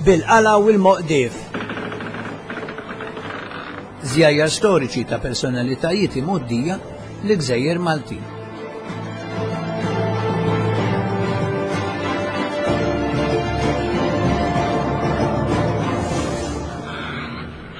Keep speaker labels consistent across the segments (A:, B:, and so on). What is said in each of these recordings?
A: Bil-qala u l-moqdif. Żjajjar storiċi ta' personalitajiet imgħoddija l-gżejjer Maltin.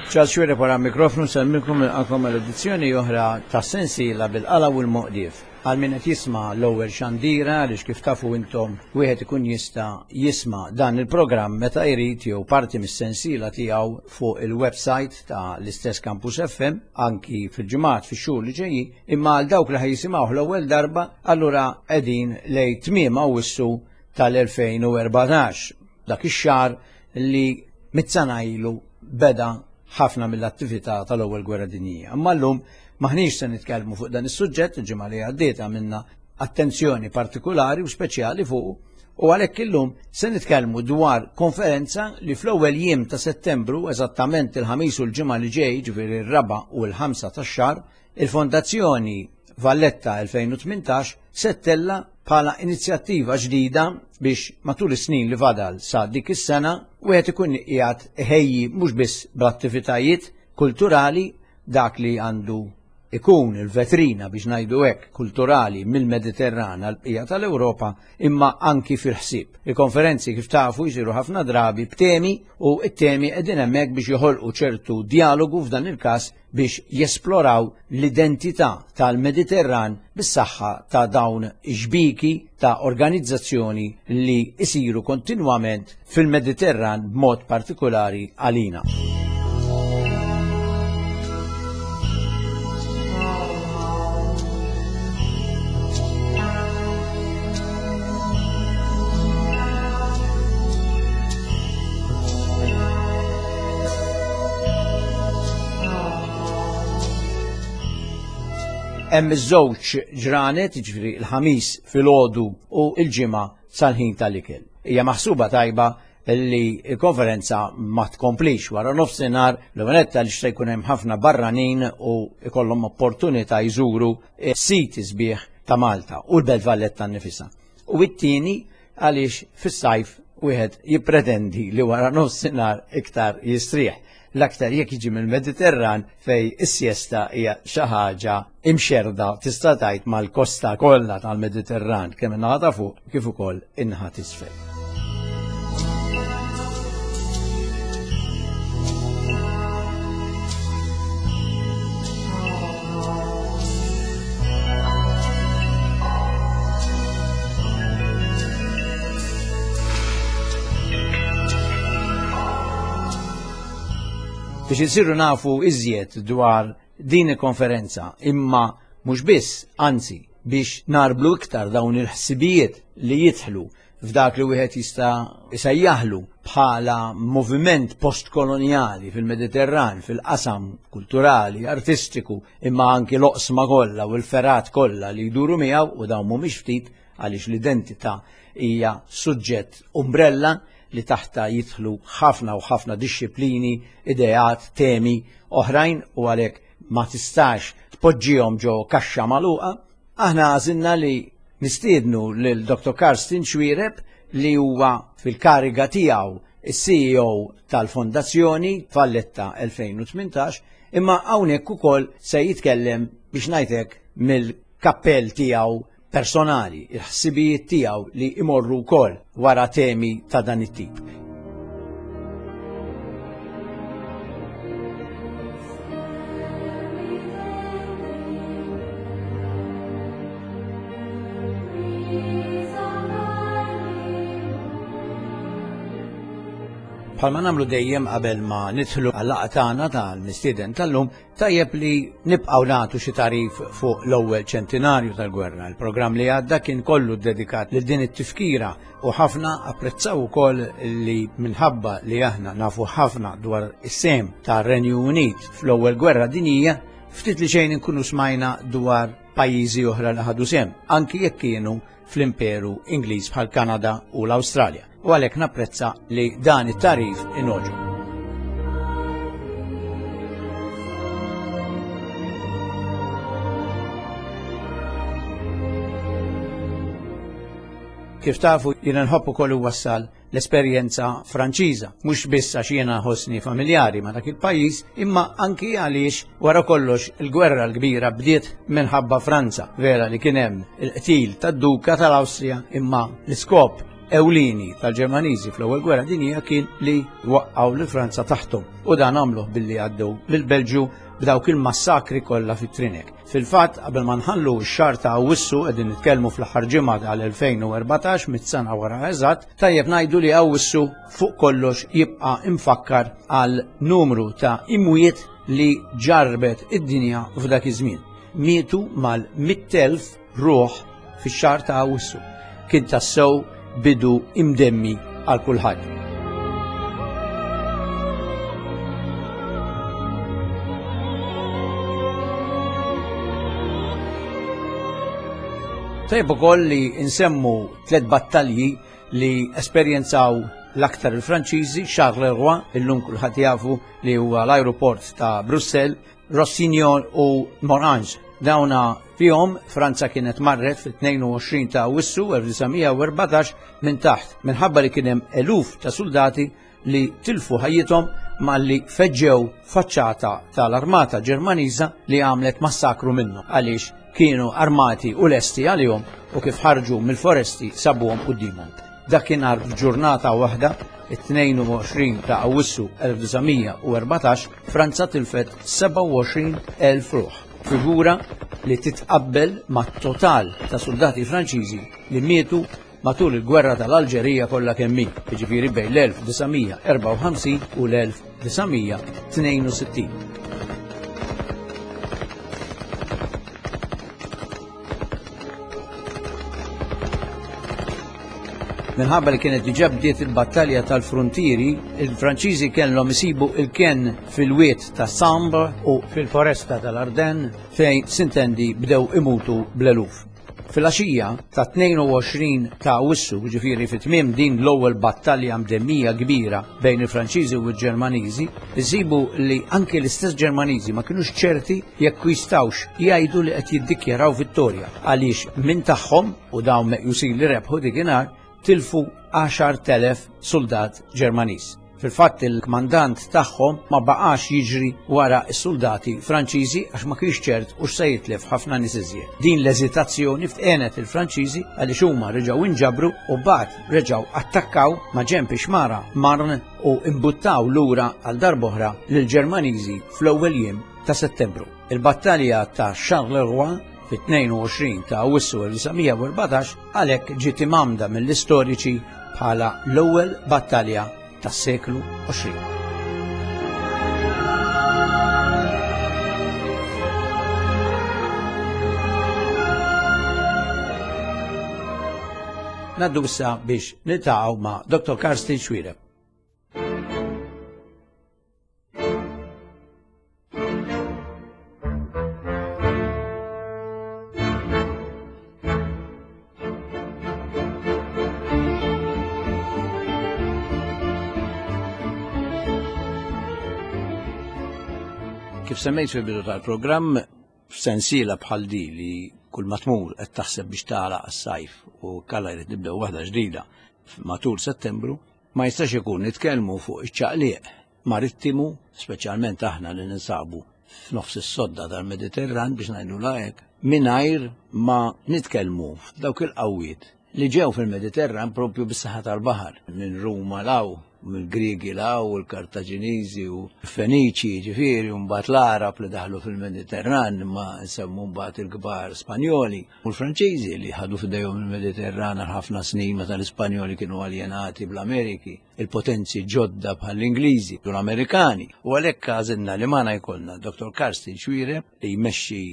A: Charles Xuereb wara mikrofnu nsellmilkom nilqakom għal edizzjoni oħra ta' sensiela bil-qala u l-moqdief. Għal min qed jisma' l-ewwel xandira għaliex kif tafu intom wieħed ikun jista' jisma' dan il-programm meta jrid jew parti mis-sensiela tiegħu fuq il-website ta' l-istess Campus FM anki fil-ġimgħat fix-xhur li ġejjin, imma għal dawk li ħa jisimgħuh l-ewwel darba allura qegħdin lejn tmiem Awwissu tal-2014. Dak ix-xahar li mit-sena ilu beda ħafna mill-attività tal-Ewwel Gwerra Dinjija. Imma llum maħniex se nitkellmu fuq dan is-suġġett, il-ġimgħa li għaddiet għamilna attenzjoni partikulari u speċjali fuq u għalhekk illum se nitkellmu dwar konferenza li fl-ewwel jiem ta' Settembru, eżattament il-ħamis u l-ġimgħa li ġej, ġifieri r-raba' u l-ħamsa tax-xahar, Il-Fondazzjoni Valletta 2018 se ttella' bħala inizjattiva ġdida biex matul is-snin li fadal sa dik is-sena wieħed ikun qiegħed iħejji mhux biss bl-attivitajiet kulturali dak li għandu ikun il-vetrina biex ngħidu hekk kulturali mill-Mediterran għal bqija tal-Ewropa imma anki fil-ħsieb. Il-konferenzi kif tafu jsiru ħafna drabi b'temi u t-temi qegħdin hemmhekk biex joħolqu ċertu dialogu f'dan il-każ biex jesploraw l-identità tal-Mediterran bis-saħħa ta' dawn ix-xbieki ta' organizzazzjoni li jsiru kontinwament fil-Mediterran b'mod partikulari għalina. Hemm iż-żewġ ġranet, jiġifieri l-ħamis filgħodu u l-ġimgħa sal-ħin tal-ikel. Hija maħsuba tajba li l-konferenza ma tkomplix wara nofsinhar l-ewwel għaliex se jkun hemm ħafna barranin u jkollhom opportunità jżuru siti sbieħ ta' Malta u l-Belt Valletta nnifisha. U it-tieni għaliex fis-sajf wieħed jippretendi li wara nofsinhar iktar jistrieħ. L-aktar jekk jiġi mill-Mediterran fej is-siesta hija xi ħaġa imxerda tista' tgħid mal-kosta kollha tal-Mediterran kemm in-naħa ta' fuq kif ukoll in-naħa t'isfel. Biex insiru nafu iżjed dwar din il-konferenza, imma mhux biss, anzi, biex narblu iktar dawn il-ħsibijiet li jidħlu f'dak li wieħed jista' jsejjaħlu bħala moviment postkolonjali fil-Mediterran, fil-qasam kulturali, artistiku, imma anki l-oqsma kollha u l-ferat kollha li jduru miegħu u dawn mhumiex ftit għaliex l-identità hija suġġett umbrella li taħta jidħlu ħafna u ħafna dixxiplini, ideat, temi oħrajn u għalhekk ma tistax tpoġġihom ġo kaxxa magħluqa. Aħna għażilna li nistiednu lil Dr. Karsten Xuereb li huwa fil-kariga tiegħu is-CEO tal-Fondazzjoni Valletta 2018, imma hawnhekk ukoll se jitkellem biex ngħidlek mill-kappell tiegħu personali, il-ħsibijiet tiegħu li imorru wkoll wara temi ta' dan it-tip. Bħalma nagħmlu dejjem qabel ma nidħlu għal-laqgħa tagħna tal-mistieden tal-lum, tajjeb li nibqgħu nagħtu xi tarif fuq l-ewwel ċentinarju tal-gwerra. Il-programm li għadda kien kollu dedikat lil din it-tifkira u ħafna apprezzaw ukoll li minħabba li aħna nafu ħafna dwar is-sehem tar-Renju Unit fl-ewwel gwerra dinjija, ftit li xejn inkunu smajna dwar pajjiżi oħra li ħadu sehem, anki jekk kienu fl-Imperu Ingliż bħal Kanada u l-Awstralja. U għalhekk napprezza li dan it-tarif inogħġob. Kif tafu jiena nħobb ukoll iwassal l-esperjenza Franċiża, mhux biss għax jiena ħossni familjari ma' dak il-pajjiż, imma anki għaliex wara kollox il-gwerra l-kbira bdiet minħabba Franza. Vera li kien hemm il-qtil tad-Duka tal-Awstrija, imma l-iskop ewlieni tal-Ġermaniżi fl-ewwel gwerra dinjija kien li waqqgħu lil Franza taħthom u dan għamluh billi għaddew lill-Belġju b'dawk il-massakri kollha fit-Trinek. Fil-fatt, qabel ma nħallu x-xahar ta' Awwissu qegħdin nitkellmu fl-aħħar ġimgħa tal-2014 mit-sena wara eżatt, tajjeb ngħidu li Awwissu fuq kollox jibqa' imfakkar għal numru ta' imwiet li ġarrbet id-dinja f'dak iż-żmien. Mietu mal-100,000 ruħ fix-xahar ta' Awwissu. Kien tassew bidu imdemmi għal kulħadd. Tajjeb ukoll li nsemmu tliet battalji li esperjenzaw l-aktar il-Franċiżi, Charleroi, illum kulħadd jafu li huwa l-ajruport ta' Brussell, Rossignol u Morange. Dawna fihom Franza kienet marret fit-22 ta' Awwissu 1914 minn taħt minħabba li kien hemm eluf ta' suldati li tilfu ħajjithom malli feġġew faċċata tal-armata Ġermaniża li għamlet massakru minnhom għaliex kienu armati u lesti għalihom u kif ħarġu mill-foresti sabuhom quddiemhom. Dakinhar f'ġurnata waħda, it-22 ta' Awwissu 1914, Franza tilfet 27,000 ruħ, figura li titqabbel mat-total ta' suldati Franċiżi li mietu matul il-Gwerra tal-Alġerija kollha kemm hi, jiġifieri bejn l-1954 u l-1962. Minħabba li kienet diġà bdiet il-battalja tal-fruntieri, il-Franċiżi kellhom isibu il-kenn fil-wied ta' Sambre u fil-foresta tal-Ardennes fejn sintendi bdew imutu bl-eluf. Filgħaxija ta' 22 ta' Awwissu, jiġifieri fi tmiem din l-ewwel battalja mdemmija kbira bejn il-Franċiżi u l-Ġermaniżi, insibu li anki l-istess Ġermaniżi ma kinux ċerti jekk jistgħux jgħidu li qed jiddikjaraw vittorja għaliex minn tagħhom, u dawn meqjusin li rebħu dikinhar, tilfu 10,000 suldat Ġermaniż. Fil-fatt il-kmandant tagħhom ma baqax jiġri wara s-suldati Franċiżi għax ma kienx ċert hux se jitlef ħafna nies iżjed. Din l-eżitazzjoni għenet il-Franċiżi għaliex huma reġgħu inġabru u mbagħad reġgħu attakkaw ma' ġenb ix-xmara Marne u imbuttaw lura għal darb'oħra lill-Ġermaniżi fl-ewwel jiem ta' Settembru. Il-battalja ta' Charleroi fit-22 ta' Awwissu 1914 għalhekk ġiet imgħammda mill-istoriċi bħala l-ewwel battalja tas-seklu 20. Naddu issa biex niltaqgħu ma' Dr. Karsten Xuereb. Kif semmejt fil-bidu tal-programm, f'sensiela bħal di li kull ma tmur qed taħseb biex tagħlaq għas-sajf u kalla jrid nibdew waħda ġdida matul Settembru, ma jistax ikun nitkellmu fuq iċ-ċaqliq marittimu, speċjalment aħna li ninsabu f'nofs is-sodda tal-Mediterran biex ngħidulha hekk, mingħajr ma nitkellmu f'dawk il-qawwiet li ġew fil-Mediterran propju bis-saħħa tal-baħar, minn Ruma law, mill-Griegi law, u l-Kartaġiniżi u l-Feniċi, ġifieri, u mbagħad l-Għarab li daħlu fil-Mediterran, imma nsemmu mbagħad il-kbar Spanjoli u l-Franċiżi li ħadu f'idejhom il-Mediterran għal ħafna snin meta l-Ispanjoli kienu aljenati bl-Ameriki. il-potenzi ġodda bħall-Ingliżi u l-Amerikani. U għalhekk għażilna li magħna jkollna Dr. Karsten Xuereb li jmexxi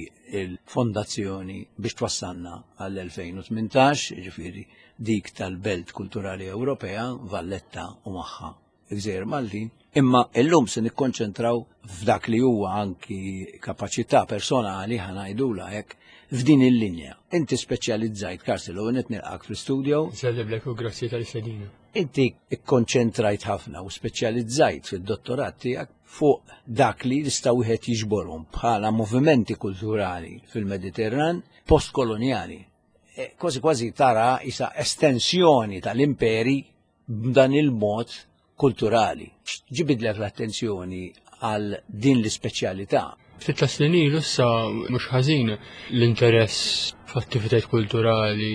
A: il-fondazzjoni biex twassalna għall-2018, ġifieri dik tal-Belt Kulturali Ewropea, Valletta u magħha il-Gżejjer Maltin. Imma illum se nikkonċentraw f'dak li huwa anki kapaċità personali ħa ngħidulha hekk f'din il-linja. Inti speċjalizzajt, Karsten, l-ewwel nett nilqak fl-istudio.
B: Nsellimlek u grazzi tal-istedina.
A: Inti kkonċentrajt ħafna u speċjalizzajt fid-dottorat tiegħek fuq dak li jista' wieħed jiġborhom bħala movimenti kulturali fil-Mediterran postkolonjali. eh, kważi kważi tara isa estensjoni tal-imperi b'dan il-mod kulturali. Ġibidlek l-attenzjoni għal din l-ispeċjalità.
B: Ftit ta' snin ilu issa mhux ħażin l-interess f'attivitajiet kulturali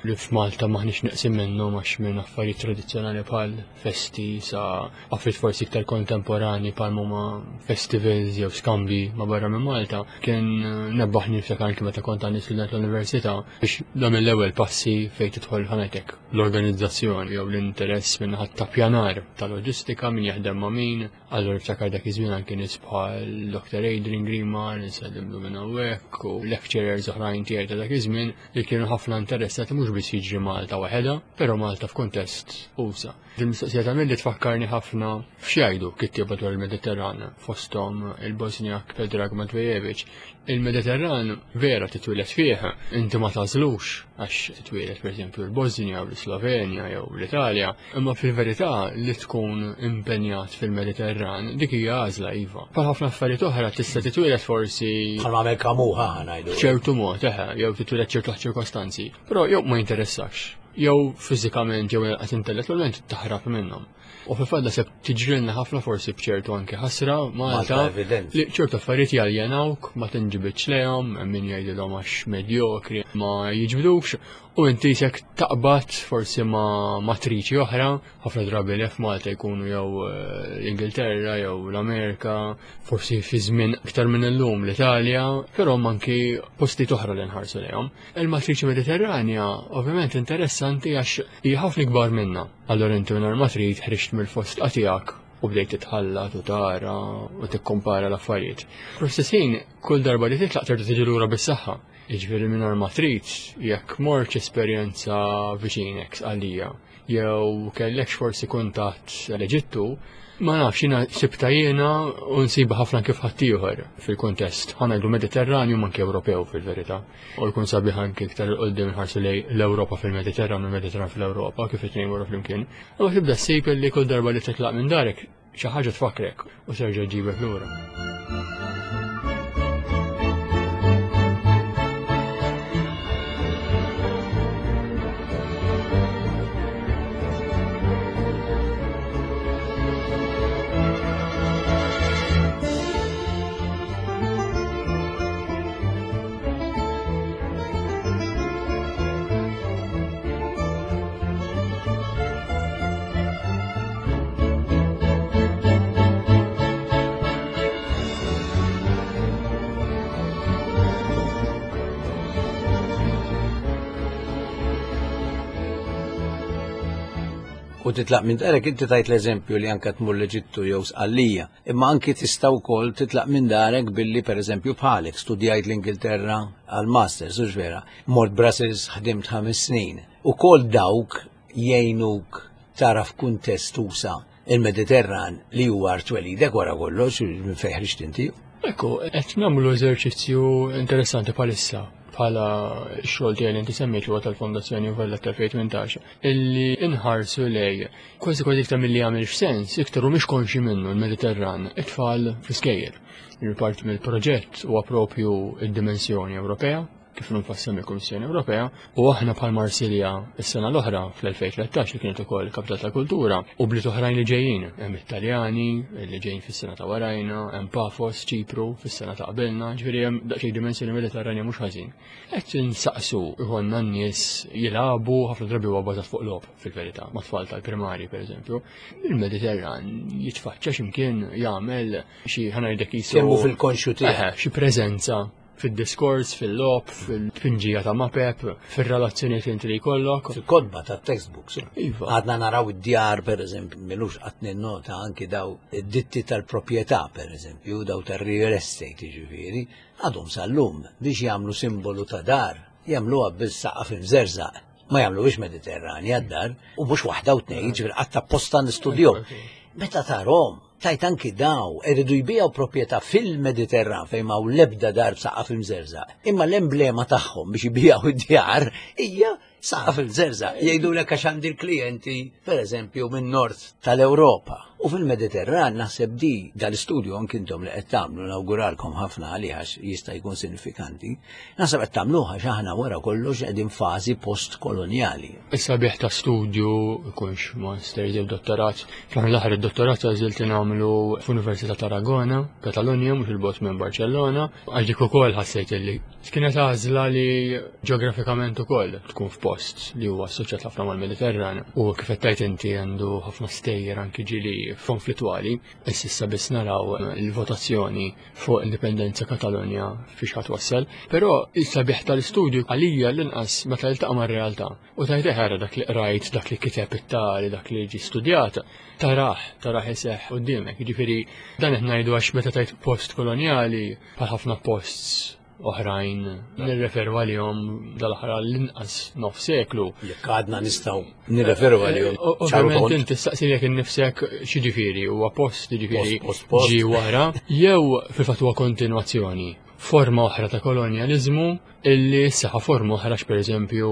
B: li f'Malta maħniex neqsin minnhom għax minn affarijiet tradizzjonali bħal festi sa affarijiet forsi iktar kontemporani bħal huma festivals jew skambi ma' barra minn Malta kien nebbaħni niftakar anki meta kont għandi student l-università biex nagħmel l-ewwel passi fejn tidħol ħanetek l-organizzazzjoni jew l-interess minn ħadd ta' pjanar ta' loġistika min jaħdem ma' min. Allura niftakar dak iż-żmien anke nies bħal Dr. Adrian Grima, nsellimlu minn hawnhekk u lecturers oħrajn tiegħi ta' dak iż-żmien li kienu ħafna interessati mhux biss jiġri Malta waħedha, però Malta f'kuntest usa. Din mistoqsija ta' li tfakkarni ħafna f'xjajdu kittieba dwar il-Mediterran fosthom il-Bosniak Predrag Matvejevic. Il-Mediterran vera titwieled fih, inti ma tażlux għax titwieled pereżempju l-Bosnia u l-Slovenja jew l-Italja, imma fil-verità li tkun impenjat fil-Mediterran dik hija għażla iva. Bħal ħafna affarijiet oħra tista' titwieled forsi
A: Bħal għamel kamuħa ngħidu.
B: ċertu mod, eħe, jew titwieled ċertu ċirkostanzi, però jew ma jinteressakx, jew fiżikament jew inqas intellettwalment taħrab minnhom. U fil-fatt naħseb tiġrilna ħafna forsi b'ċertu anke ħasra Malta li ċertu affarijiet jaljenawk, ma tinġibidx lejhom, hemm min jgħidilhom għax medjokri ma jiġbdux, u inti sek taqbad forsi ma' matriċi oħra, ħafna drabi li f'Malta jkunu jew eh, l-Ingilterra jew l-Amerika, forsi fi żmien iktar minn illum l-Italja, però anki postijiet oħra li nħarsu lejhom. Il-matriċi Mediterranja ovvjament interessanti għax hija ħafna ikbar minna. Allura inti mingħajr ma trid ħriġt mill-fosdqa tiegħek u bdejt titħallat u tara u tikkompara l-affarijiet. Fl-istess ħin, kull darba li titlaq terġa' tiġi lura bis-saħħa. Jiġifieri mingħajr ma trid, jekk mortx esperjenza viċinek Sqallija, jew kellekx forsi kuntatt l-Eġittu, ma nafx jiena sibta jiena u nsibha ħafna kif ħaddieħor fil-kuntest, ħa ngħidu Mediterranju ma anke Ewropew fil-verità. U jkun sabiħ anke iktar 'il quddiem nħarsu lejn l-Ewropa fil-Mediterran u l-Mediterran fl-Ewropa kif it-tnejn morru flimkien. Imma tibda ssib li kull darba li titlaq minn darek xi ħaġa tfakkrek u terġa' ġġibek lura.
A: U titlaq minn darek inti tajt l-eżempju li anka tmur l-Eġittu jew Sqallija. Imma anki tista' wkoll titlaq minn darek billi pereżempju bħalek studjajt l-Ingilterra għal masters, hux vera? Mort Brussels ħdimt ħames snin. Ukoll dawk jgħinuk tara f'kuntest usa il-Mediterran li huwa art twelidek wara kollox minn fejn ħriġt inti.
B: Ekku, qed nagħmlu eżerċizzju interessanti bħalissa bħala x-xogħol tiegħi li inti semmejt li huwa tal-Fondazzjoni Valletta 2018, illi inħarsu lej Kważi kważi iktar milli jagħmel sens, iktar mhumiex konxi minnu l-Mediterran, it-tfal fl-iskejjel. Il-parti mill-proġett huwa propju id-dimensjoni Ewropea, kif nfassem il-Kummissjoni Ewropea, u aħna bħal Marsilja s-sena l-oħra fl-2013 li kienet ukoll Kapital tal-Kultura u bliet oħrajn li ġejjin, hemm it-Taljani li ġejjin fis-sena ta' warajna, hemm Pafos, Ċipru fis-sena ta' qabilna, ġifieri hemm daqsxejn dimensjoni Mediterranja mhux ħażin. Qed insaqsu ikollna n-nies jilagħbu ħafna drabi huwa bażat fuq logħob fil-verità, ma' tfal tal-primarji pereżempju. Il-Mediterran jitfaċċa x'imkien jagħmel xi ħanajdek
A: jisu. Kemm fil-konxju tiegħek.
B: Xi preżenza fid-diskors, fil-logħob, fil-tpinġija ta' mapep, fir-relazzjonijiet inti li jkollok.
A: Fil-kotba ta' textbooks.
B: Iva.
A: Għadna naraw id-djar, per eżempju, milux qatt nota anki daw id-ditti tal-proprjetà, per eżempju, daw tar-real estate, jiġifieri, Għadhom sal-lum biex jagħmlu simbolu ta' dar, jagħmluha bis-saqaf imżerżaq. Ma jagħmluhiex Mediterranja d-dar, u mhux waħda u tnejn, jiġifieri qatt apposta nistudjhom. Meta tarhom, tajt anki daw iridu jbiegħu proprjetà fil-Mediterran fejn m'hawn l-ebda dar b'saqaf imżerżaq. Imma l-emblema tagħhom biex jbiegħu d-djar hija Saqaf il-żerżaq jgħidulek għax għandi l-klijenti, pereżempju, min-nord tal-Ewropa. U fil-Mediterran naħseb di dal-istudju anki intom li qed tagħmlu nawguralkom ħafna għalih għax jista' jkun sinifikanti, naħseb qed tagħmluh għax aħna wara kollox qegħdin fażi post-kolonjali.
B: Is-sabiħ ta' studju ikunx masters jew dottorat, fl-aħħar l-aħħar id-dottorat għażilt li nagħmlu f'Università Tarragona, Katalunja, mhux il-bogħod minn Barcellona, għax dik ukoll ħassejt li Kienet għażla li ġeografikament ukoll tkun f'post li huwa assoċjat ħafna mal-Mediterran u kif qed tgħid inti għandu ħafna stejjer anki ġieli konflittwali. Issa biss naraw il-votazzjoni fuq indipendenza Katalonja fiex ħadd wassal. Però il-sabiħ tal-istudju għalija l-inqas meta jiltaqa' mar-realtà u tgħid eħera dak li qrajt, dak li kiteb it-tali, dak li ġie studjat, tarah, tarah iseħħ quddiemek. Jiġifieri dan qed ngħidu għax meta tgħid post kolonjali bħal ħafna posts oħrajn nirreferu għalihom dal-aħħar l-inqas nof seklu.
A: Jekk għadna nistgħu nirreferu għalihom.
B: Ovvjament inti staqsi jekk innifsek x'jiġifieri huwa post jiġifieri ġi wara jew fil-fatt huwa kontinwazzjoni forma oħra ta' kolonjaliżmu illi s-saħħa forma oħra pereżempju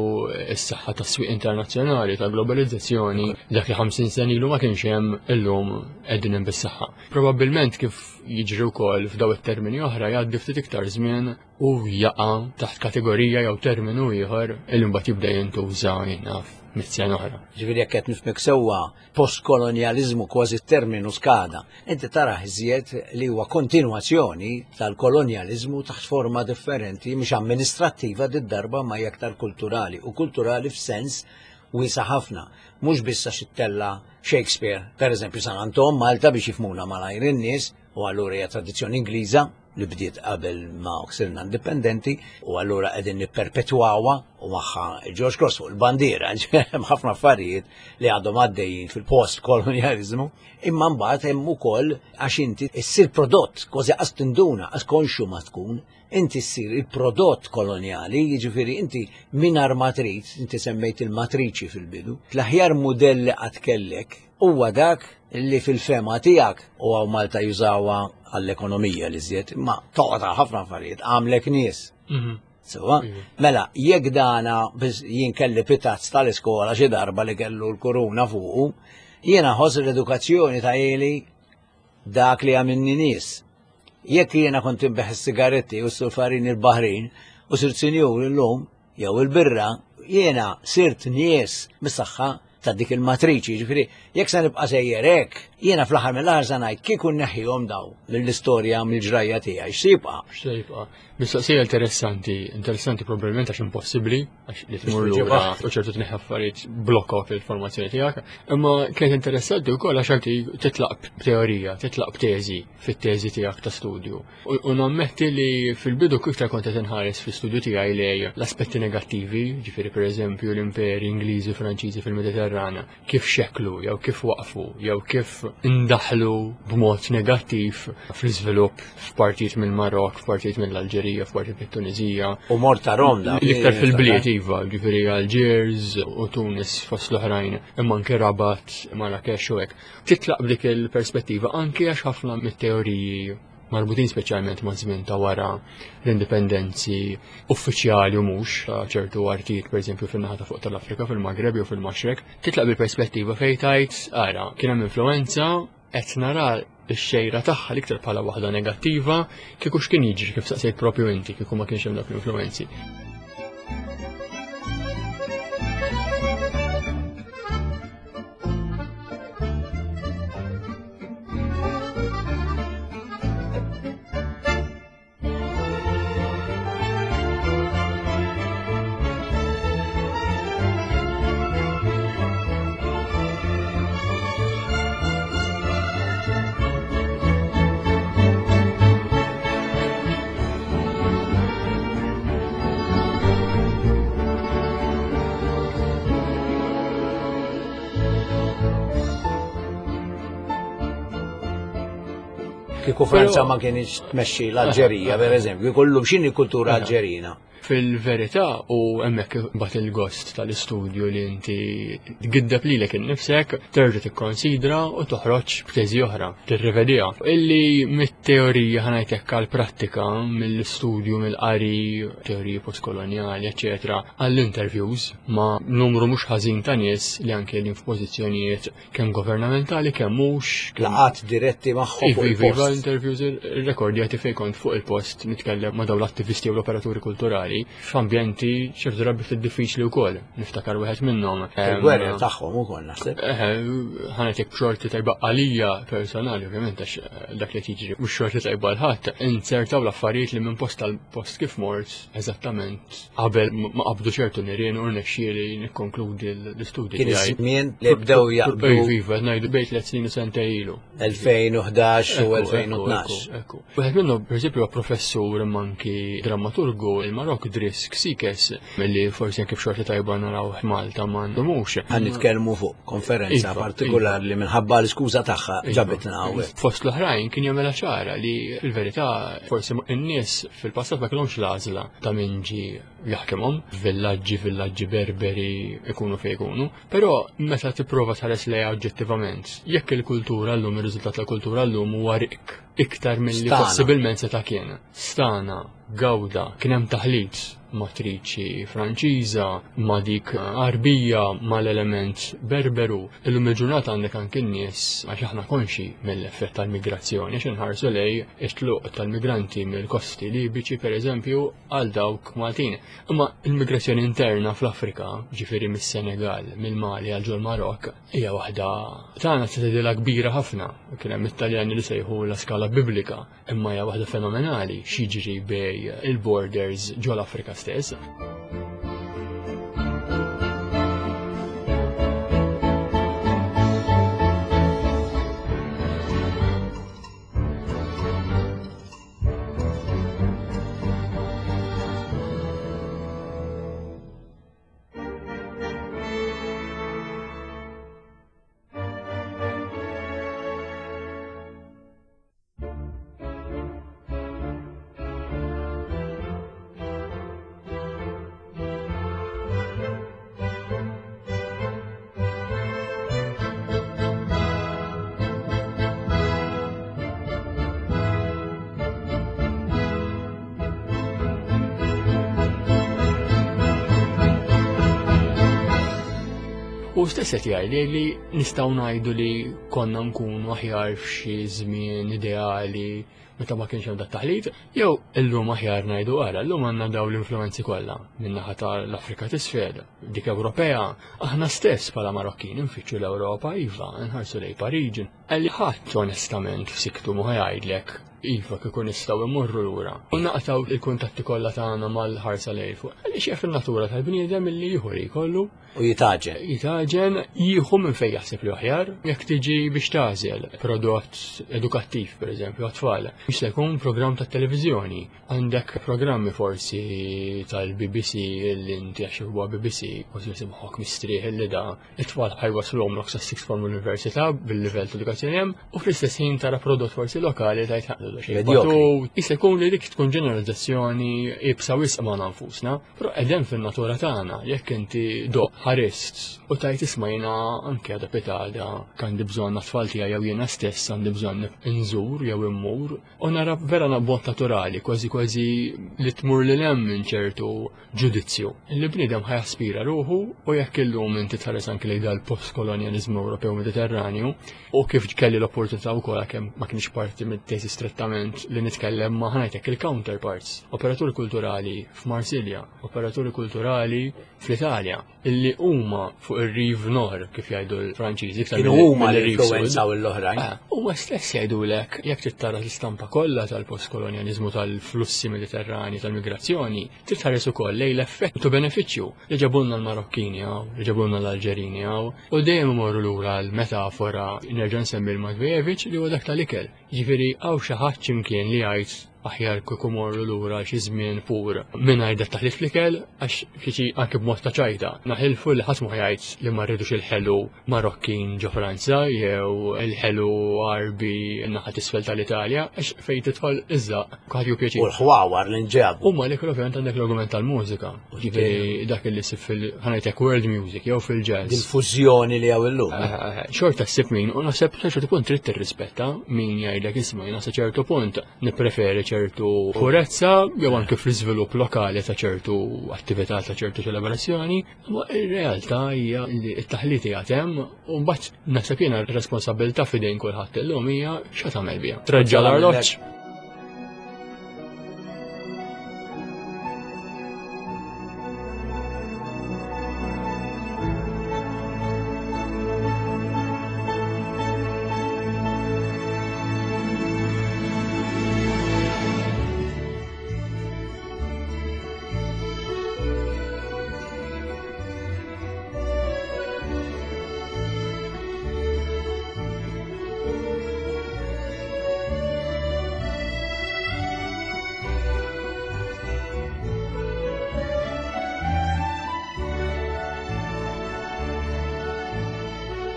B: s-saħħa tas-swieq internazzjonali ta' globalizzazzjoni dak li 50 sena ilu ma kienx hemm illum qegħdin hemm bis-saħħa. Probabbilment kif jiġri wkoll f'daw it-termini oħra jgħaddi ftit iktar żmien u jaqa' taħt kategorija jew terminu ieħor illi mbagħad jibda jintuża jinnaf mit-sena oħra.
A: Ġifieri jekk qed nifhmek sewwa postkolonjaliżmu kważi terminu skada. Inti tara iżjed li huwa kontinwazzjoni tal-kolonjaliżmu taħt forma differenti, mhux amministrattiva did-darba ma hija aktar kulturali u kulturali f'sens wiesa' ħafna. Mhux biss għax ittella' Shakespeare, per eżempju San Anton, Malta biex jifhmuna malajr in-nies, u allura hija tradizzjoni Ingliża li bdiet qabel ma sirna indipendenti u allura qegħdin nipperpetwawha u magħha George Cross fuq il-bandiera, hemm ħafna affarijiet li għadhom għaddejjin fil-post kolonjaliżmu, imma mbagħad hemm ukoll għax inti ssir prodott kważi qas tinduna, qas konxju ma tkun, inti ssir il-prodott kolonjali, jiġifieri inti mingħajr ma trid, inti semmejt il-matriċi fil-bidu, l-aħjar mudell li qatt kellek huwa dak li fil-fema tiegħek u hawn Malta jużawha għall-ekonomija li żjed, imma toqgħod għal ħafna affarijiet, għamlek nies. Sewa, mela, jekk dana biss jien kelli pitazz tal-iskola xi darba li kellu l-kuruna fuqu, jiena ħoss l-edukazzjoni ta' ili dak li għamilni nies. Jekk jiena kont inbeħ is-sigaretti u s-sulfarini l-baħrin u sirt sinjur illum jew il-birra, jiena sirt nies mis-saħħa ta' dik il-matriċi, ġifieri jekk se nibqa' sejjer hekk, jiena fl-aħħar mill-aħħar se ngħid kieku nneħħihom daw mill-istorja mill-ġrajja tiegħi, x'se jibqa'?
B: X'se jibqa'? Mistoqsija interessanti, interessanti probabbilment għax impossibbli, għax li tmur lura u ċertu tneħħi affarijiet blokka fil-formazzjoni tiegħek. Imma kienet interessanti wkoll għax anki titlaq b'teorija, titlaq b'teżi fit-teżi tiegħek ta' studju. U nammetti li fil-bidu iktar kont qed inħares fl-istudju tiegħi lej l-aspetti negattivi, ġifieri pereżempju l-imperi Ingliżi u Franċiżi fil-Mediterrana, kif xeklu jew kif waqfu jew kif indaħlu b'mod negattiv fl-iżvilupp f'partijiet mill-Marok, f'partijiet mill-Alġerija, f'partijiet mit-Tunizija.
A: U mort Rom da.
B: L-iktar fil-bliet iva, ġifieri Alġiers u Tunis fost l-oħrajn, imma anke Rabat, Marrakesh u hekk. Titlaq b'dik il-perspettiva anke għax ħafna mit-teoriji marbutin speċjalment ma' żmien ta' wara l-indipendenzi uffiċjali u mhux ta' ċertu artijiet pereżempju fin-naħa ta' fuq tal-Afrika fil-Magreb jew fil-Maxrek, titlaq bil-perspettiva fejn tgħid ara kien hemm influenza qed nara x-xejra tagħha l-iktar bħala waħda negattiva kieku x'kien jiġri kif saqsejt propju inti kieku ma kienx hemm dawk l-influenzi.
A: Kieku Franza ma kienx tmexxi l-Alġerija, per eżempju, kollu x'inhi kultura Alġerina.
B: Fil-verità u hemmhekk bat il-gost tal-istudju li inti tgiddeb lilek innifsek, terġa' tikkonsidra u toħroġ b'teżi oħra, tirrivediha. Illi mit-teorija ħa ngħid hekk għall-prattika, mill-istudju, mill-qari, teoriji postkolonjali, eċetera, għall-interviews ma' numru mhux ħażin ta' nies li anke li f'pożizzjonijiet kemm governamentali kemm mhux.
A: Laqgħat diretti magħhom fuq
B: Iva, iva, interviews irrekordjati fejn kont fuq il-post nitkellem ma' dawn l-attivisti u l-operaturi kulturali f'ambjenti ċertu drabi ftit diffiċli wkoll. Niftakar wieħed minnhom.
A: Il-gwerra tagħhom ukoll naħseb.
B: Ħa ngħidlek b'xorti tajba għalija personali ovvjament għax dak li jiġri mhux xorti tajba l-ħadd, inzertaw l-affarijiet li minn post tal-post kif mort eżattament qabel ma qabdu ċertu nirien u rnexxieli nikkonkludi l-istudji.
A: Kien iż-żmien li bdew jaqbdu.
B: Iva, ngħidu bejn tliet snin u sentejn ilu.
A: 2011 u 2012.
B: Ekku. Wieħed minnhom pereżempju huwa professur imma anki drammaturgu il-Marok Driss Ksikes milli forsi anke b'xorti tajba naraw Malta ma ndumux.
A: Għan nitkellmu fuq konferenza iva, partikolari li minħabba l-iskuża tagħha iva. ġabitna hawnhekk.
B: Fost l-oħrajn kien jagħmilha ċara li fil-verità forsi n-nies fil-passat ma kellhomx l-għażla ta' min ġie jaħkimhom, villaġġi, villaġġi berberi ikunu fejn ikunu. Però meta tipprova tħares lejha oġġettivament, jekk il-kultura llum, ir-riżultat tal-kultura llum huwa rikk iktar milli possibilment seta' kien. Stana, gawda, kien hemm taħlit matriċi Franċiża, ma' dik Għarbija, mal-element Berberu. Illum il-ġurnata għandek anki n-nies għax aħna konxi mill-effett tal-migrazzjoni, għax inħarsu lej it-tluq tal-migranti mill-kosti Libiċi pereżempju għal dawk Maltin. Imma l-migrazzjoni interna fl-Afrika, ġifieri mis-Senegal, mill-Mali għal ġol-Marokk, hija waħda tagħna se tgħidilha kbira ħafna. Kien hemm it-Taljani li sejħu la skala biblika, imma hija waħda fenomenali x'jiġri bej il-borders ġol-Afrika stess. U stess qed jgħid li nistgħu ngħidu li konna nkunu aħjar f'xi żmien ideali meta ma kienx hemm dat taħlit, jew illum aħjar ngħidu ara, llum għandna daw l-influenzi kollha min-naħa tal-Afrika t'isfel, dik Ewropea, aħna stess bħala Marokkin nfittxu l-Ewropa, iva, nħarsu lej Pariġi. Għalli ħadd onestament f'siktu ma jgħidlek iva kieku nistgħu immorru lura. U naqtaw il-kuntatti kollha tagħna mal-ħarsa lejn fuq. Għaliex jaf in-natura tal-bniedem illi jieħu li jkollu.
A: U jitaġen.
B: Jitaġen, jieħu minn fejn jaħseb li aħjar, jekk tiġi biex tagħżel prodott edukattiv, per eżempju, għat-tfal. Jista' jkun programm ta' televiżjoni. Għandek programmi forsi tal-BBC li inti għax huwa BBC, kważi jisibħok mistrieħ li da it-tfal ħajwaslhom lok sa sixth form università bil-livell ta' edukazzjoni hemm, u fl-istess ħin tara prodott forsi lokali tajt ħaqdu xejn. Jista' jkun li dik tkun ġeneralizzazzjoni ibsa wisq ma' nfusna. Però qegħdin fin-natura tagħna, jekk inti doq ħarist u tajt isma' jiena anke għada pitada għandi bżonn għat-tfal tiegħi jew jiena stess għandi bżonn inżur jew immur u nara vera b'mod naturali, kważi kważi li tmur lil hemm minn ċertu ġudizzju. Li bniedem ħa jaspira ruħu u jekk illum inti tħares anke lejn dal-postkolonjaliżmu Ewropew Mediterranju u kif kelli l-opportunità wkoll għalkemm ma kienx parti mit-teżi strettament li nitkellem ma' ħa ngħidlek il-counterparts, operaturi kulturali f'Marsilja, operaturi kulturali fl-Italja, illi huma fuq ir-Rive Nord, kif jgħidu l-Franċiżi, iktar
A: Kienu
B: milli
A: huma li
B: mill-Rive Sud.
A: influwenzaw l-oħrajn.
B: Huma stess jgħidulek jekk trid tara l-istampa kollha tal-postkolonjaliżmu tal-flussi Mediterrani tal-migrazzjoni, trid tħares ukoll lejn l-effett u benefiċċju li ġabulna l-Marokkini hawn, li ġabulna l-Alġerini hawn, u dejjem imorru lura l-metafora nerġa' nsemmi l-Matvejevic li huwa dak tal-ikel. Jiġifieri hawn xi ħadd x'imkien li jgħid aħjar kieku morru lura xi żmien pur mingħajr dat taħlit fl-ikel għax xi anke b'mod ta' ċajta. Naħilfu li ħadd ma jgħid li ma rridux il-ħelu Marokkin ġo Franza jew il-ħelu Għarbi naħa t'isfel tal-Italja għax fejn tidħol iż-żaqq kulħadd jieħu pjaċir.
A: U l-ħwawar li nġabu.
B: U ma l-ikel ovvjament għandek l-argument tal-mużika. Ġifieri dak li ssib fil ħanajtek world music jew fil-jazz.
A: Dil-fużjoni li hawn illum.
B: Xorta ssib min u naħseb sa ċertu punt trid tirrispetta min jgħidlek isma' jiena sa ċertu punt nippreferi ċertu purezza jew anke fl-iżvilupp lokali ta' ċertu attività ta' ċertu ċelebrazzjoni, imma ir-realtà hija li t-taħlit qiegħed hemm u mbagħad naħseb jiena r-responsabilità f'idejn kulħadd illum hija x'għad tagħmel biha. Treġġa' l-arloġġ.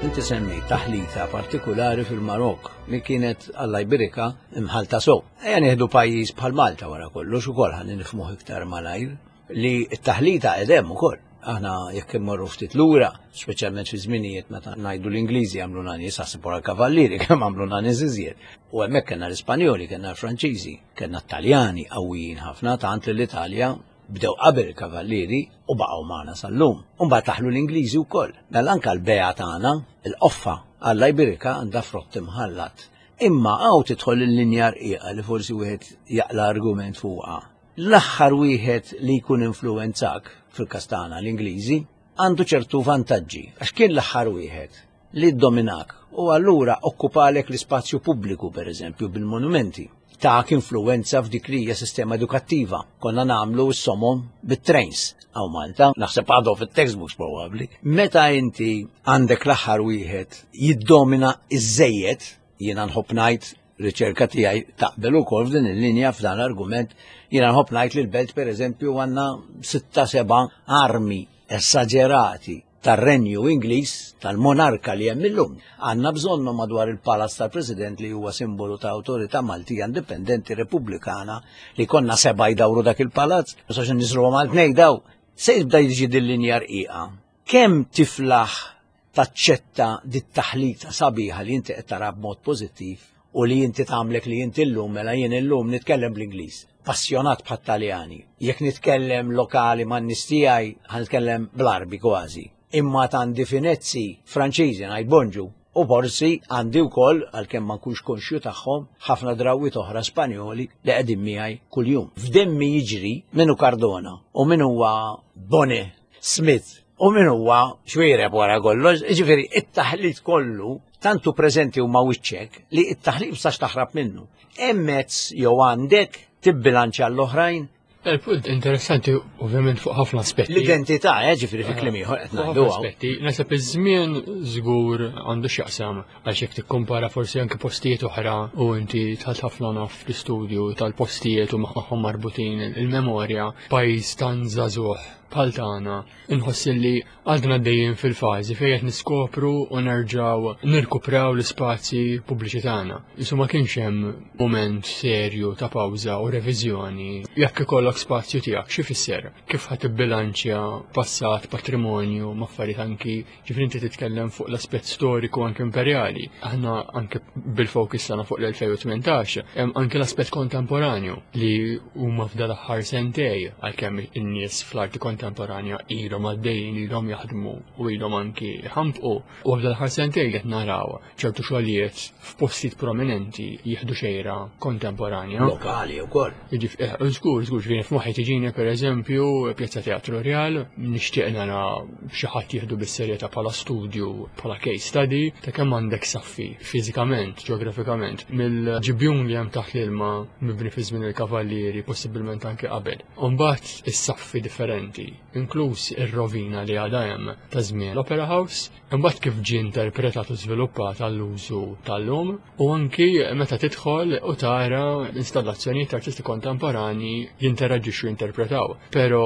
A: Inti semmejt taħlita partikulari fil-Marok li kienet Alla jbirika imħalta sew. Ejja nieħdu pajjiż bħal Malta wara kollox ukoll ħalli nifhmuh iktar malajr li t-taħlita qed hemm ukoll. Aħna jekk immorru ftit lura, speċjalment fi żminijiet meta ngħidu l-Ingliżi għamlu nies aħseb wara l-Kavallieri kemm għamlu nies iżjed. U hemmhekk kellna l-Ispanjoli, kellna l-Franċiżi, kellna t-Taljani qawwijin ħafna tant li l-Italja bdew qabel il-Kavallieri u baqgħu magħna sal-lum. U mbagħad daħlu l-Ingliżi wkoll. Mela anke l-bea tagħna, il-qoffa, Alla jbirikha għandha frott imħallat. Imma hawn tidħol il-linja rqiqa li forsi wieħed jaqla' argument fuqha. L-aħħar wieħed li jkun influwenzak, fil-każ tagħna l-Ingliżi, għandu ċertu vantaġġi għax kien l-aħħar wieħed li ddominak u allura okkupalek l-ispazju pubbliku pereżempju bil-monumenti. Tak influwenza f'dik li hija sistema edukattiva. Konna nagħmlu s-somom bit-trains hawn Malta, naħseb għadhom fit-textbooks probabbli. Meta inti għandek l-aħħar wieħed jiddomina iż-żejjed, jiena nħobb ngħid riċerka tiegħi taqbel ukoll f'din il-linja f'dan l-argument, jiena nħobb ngħid li l-belt pereżempju għandna sitta seba' armi esaġerati tar-Renju Ingliż, tal-monarka li hemm illum. Għandna bżonnhom madwar il-Palazz tal-President li huwa simbolu ta' awtorità Maltija indipendenti repubblikana li konna seba' jdawru dak il-palazz, ma sax nisruhom għal tnejn daw. Se jibda jiġi din linja rqiqa. Kemm tiflaħ taċċetta dit-taħlita sabiħa li inti qed tara b'mod pożittiv u li inti tagħmlek li inti llum mela jien illum nitkellem bl-Ingliż. Passjonat bħat-Taljani. Jekk nitkellem lokali man-nies tiegħi ħa nitkellem bl-Għarbi kważi. Imma għandi finezzi Franċiżi ngħid bonġu u forsi għandi wkoll għalkemm ma nkunx konxju tagħhom ħafna drawwiet oħra Spanjoli li qegħdin miegħi kuljum. F'demmi jiġri min hu Cardona u min huwa Bonnet Smith u min huwa xwiereb wara kollox, jiġifieri it-taħlit kollu tantu preżenti huma wiċċek li it-taħlit sax taħrab minnu. Hemm mezz jew għandek tibbilanċja l-oħrajn.
B: Il-punt interessanti ovvjament fuq ħafna aspetti.
A: L-identità, eh, ġifieri fi kliem ieħor qed ngħidu.
B: Aspetti, naħseb iż-żmien żgur għandu x'jaqsam għax jekk tikkumpara forsi anke postijiet oħra u inti tħalt ħafna naf fl-istudju tal-postijiet u magħhom marbutin il-memorja, pajjiż tan żagħżugħ bħal tagħna inħoss li għadna dejjem fil-fażi fejn qed niskopru u nerġgħu nirkupraw l-ispazji pubbliċi tagħna. Isu ma kienx hemm mument serju ta' pawża u reviżjoni jekk ikollok spazju tiegħek xi fisser kif ħa tibbilanċja passat, patrimonju, ma' affarijiet anki ġifieri inti titkellem fuq l-aspett storiku anke imperjali. Aħna anke bil-fokus tagħna fuq l-2018 hemm anke l-aspett kontemporanju li huma f'dal aħħar sentej għalkemm in-nies fl-arti kontemporanja ilhom għaddejjin ilhom jaħdmu u ilhom anki ħampqu u f'dal aħħar sentej qed naraw ċertu xogħlijiet f'postijiet prominenti jieħdu xejra kontemporanja.
A: Lokali wkoll.
B: Jiġifieri, żgur, żgur, ġifieri F'moħħi tiġini pereżempju Pjazza Teatru Real, nixtieq nara xi ħadd jieħdu bis-serjetà bħala studju, bħala case study ta' kemm għandek saffi fiżikament, ġeografikament, mill-ġibjun li hemm taħt l-ilma mibni fi żmien il-kavallieri, possibilment anke qabel. U mbagħad is-saffi differenti, inkluż ir-rovina li għadha hemm ta' żmien l-Opera House, imbagħad kif ġie interpretat u żviluppat għall-użu tal-lum, u anki meta tidħol u tara installazzjonijiet ta' artisti kontemporanji jinteraġixxu jinterpretaw. Però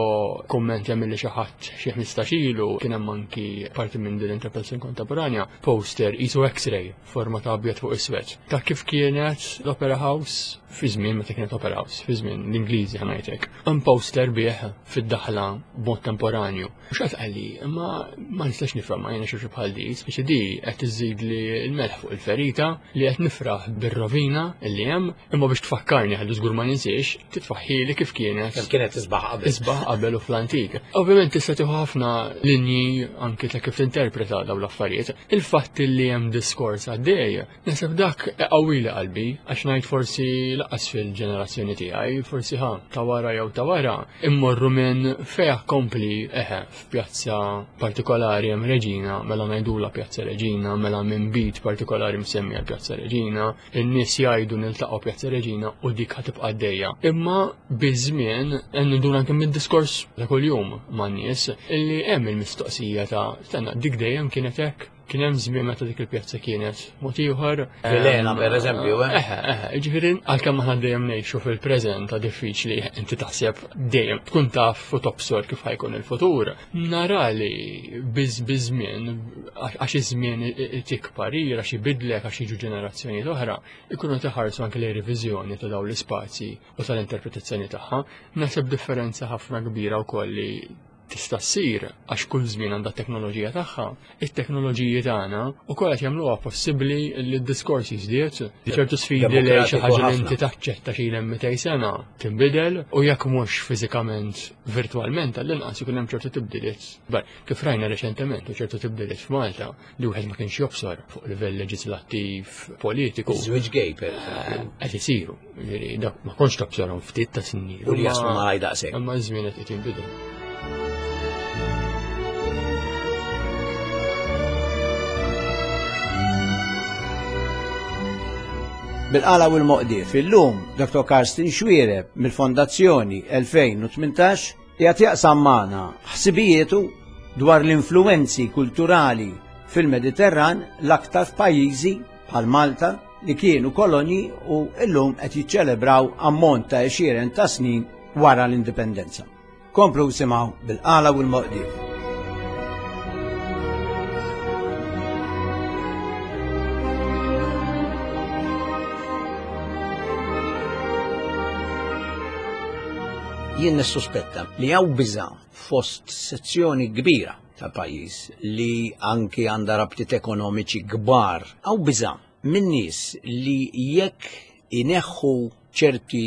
B: kumment jagħmel xi ħadd xi 15 ilu kien hemm anki parti minn din l-interpretazzjoni kontemporanja poster qisu X-ray forma ta' abjad fuq iswed. Ta' kif kienet l-Opera House fi żmien meta kienet Opera House, fi żmien l-Ingliżi ħanajtek. Hemm poster bih fid-daħla b'mod temporanju. Mhux qed qalli, imma ma nistax nifhem ma jiena xi bħal di, speċi di qed iżid li l-melħ fuq il-ferita li qed nifraħ bir-rovina li hemm, imma biex tfakkarni ħalli żgur ma ninsiex, titfaħħili kif kienet.
A: Kemm kienet isbaħ qabel.
B: Isbaħ qabel u fl-antik. Ovvjament tista' tieħu ħafna linji anki ta' kif tinterpreta dawn l-affarijiet. Il-fatt li hemm diskors għaddej Naħseb dak qawwili qalbi, għax ngħid forsi laqas fil-ġenerazzjoni tiegħi, forsi ħa ta' wara jew ta' wara, immorru minn fejn kompli eħe f'pjazza partikolari hemm Reġina, mela ngħidula Pjazza Reġina, mela minn bit partikolari msemmija Pjazza Reġina, in-nies jgħidu niltaqgħu Pjazza Reġina u dik ħa tibqa' għaddejja. Imma biż-żmien nduna anke mid-diskors ta' kuljum man-nies illi hemm il-mistoqsija ta' stenna dik dejjem kienet hekk. Kien hemm żmien meta dik il-pjazza kienet mod ieħor.
A: Vilena pereżempju,
B: eh? Eħe, eħe, ġifieri għalkemm aħna dejjem ngħixu fil-preżent ta' diffiċli inti taħseb dejjem tkun taf u tobsor kif ħajkun il-futur. Nara li biż biż-żmien għax iż-żmien tikbar għax ibidlek għax jiġu ġenerazzjonijiet oħra, ikunu teħarsu anke lejn reviżjoni ta' dawn l-ispazji u tal-interpretazzjoni tagħha. Naħseb differenza ħafna kbira wkoll li tista' ssir għax kull żmien għandha t-teknoloġija tagħha, it-teknoloġiji tagħna wkoll qed jagħmluha possibbli li d-diskors jiżdied. Ċertu sfidi li xi ħaġa li inti taċċetta xi hemm 200 sena tinbidel u jekk mhux fiżikament virtwalment għall-inqas ikun hemm ċertu tibdiliet. Kif rajna reċentement u ċertu tibdiliet f'Malta li wieħed ma kienx jobsor fuq livell leġislattiv, politiku.
A: Żwieġ gay per eżempju.
B: Qed isiru. Ġifieri dak ma kontx tobsorhom ftit ta' snin.
A: U li jaslu malaj daqshekk.
B: Imma ż-żmien qed jinbidel.
A: Bil-qala u l-moqdief illum Dr. Karsten Xuereb mill-Fondazzjoni 2018 qiegħed jaqsam magħna ħsibijietu dwar l-influwenzi kulturali fil-Mediterran l-aktar f'pajjiżi bħal Malta li kienu kolonji u llum qed jiċċelebraw ammont ta' għexieren ta' snin wara l-indipendenza. Komplu simgħu bil-qala u l-moqdief. Jien nissuspetta li hawn biża' fost sezzjoni kbira tal-pajjiż li anki għandha rabtiet ekonomiċi kbar. Hawn biża' minn nies li jekk ineħħu ċerti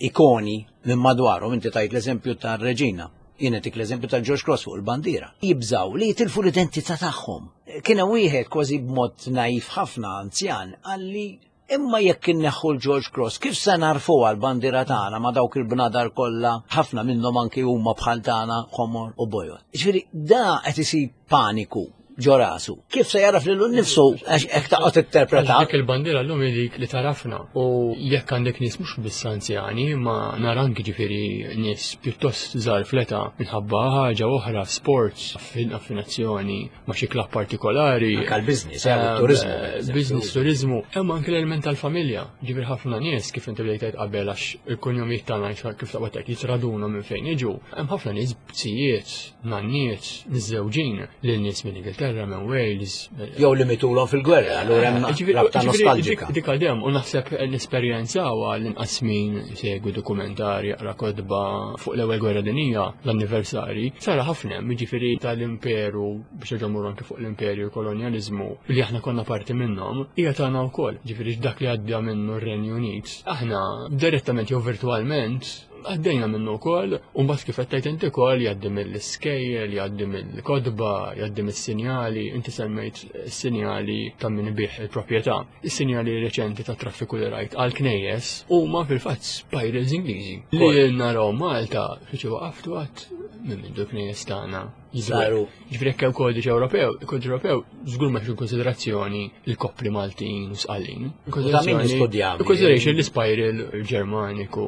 A: ikoni minn madwarhom, inti tajt l-eżempju tar-Reġina, jien tik l-eżempju tal-George Cross fuq il-bandiera, jibżaw li jitilfu l-identità tagħhom. Kien hemm wieħed kważi b'mod naif ħafna anzjan qalli Imma jekk inneħħu l-George Cross, kif se nagħrfuha l-bandiera tagħna ma' dawk il-bnadar kollha, ħafna minnhom anki huma bħal tagħna ħomor u bojod. Jiġifieri da qed isib paniku ġo rasu. Kif se jaraf lilu nnifsu għax hekk taqgħod tinterpreta.
B: Dik il-bandiera llum hi dik li tarafna u jekk għandek nies mhux biss anzjani ma nara anki ġifieri nies pjuttost żgħar fl-età minħabba ħaġa oħra sports, affinazzjoni ma' xi klabb partikolari.
A: Anke l-business, turizmu.
B: Business, turizmu. Hemm anke l-element tal-familja. Ġifieri ħafna nies kif inti bdejt tgħid qabel għax il-kunjomijiet tagħna kif taqbad tgħid jitraduna minn fejn jiġu. Hemm ħafna nies bzijiet, nanniet, miżżewġin lil nies minn Ingilterra, minn Wales.
A: Jew li mitulhom fil-gwerra, allura hemm rabta nostalġika.
B: Dik għadem u naħseb l-esperjenza l-inqas min segwi dokumentari, jaqra kotba fuq l-ewwel gwerra dinija, l-anniversari, sara ħafna hemm, jiġifieri tal-imperu biex nerġgħu mmorru anke fuq l-imperju kolonjaliżmu li aħna konna parti minnhom, hija tagħna wkoll. Ġifieri dak li għadda minnu r-Renju Unit, aħna direttament jew virtwalment Għaddejna minnu wkoll, u mbagħad kif qed tgħid inti wkoll jgħaddi mill-iskejjel, jgħaddi mill-kotba, jgħaddi mis-sinjali, inti semmejt sinjali ta' min ibigħ il-proprjetà. Is-sinjali reċenti ta' traffiku li rajt għal knejjes huma fil-fatt spirals Ingliżi. Li naraw Malta xi waqaftu għat minn mindu knejjes tagħna.
A: Saru.
B: Ġifieri jekk hemm kodiċi Ewropew, il-kodiċi Ewropew żgur ma konsiderazzjoni l-koppli Maltin u Sqallin. Konsiderazzjoni l-spiral Ġermaniku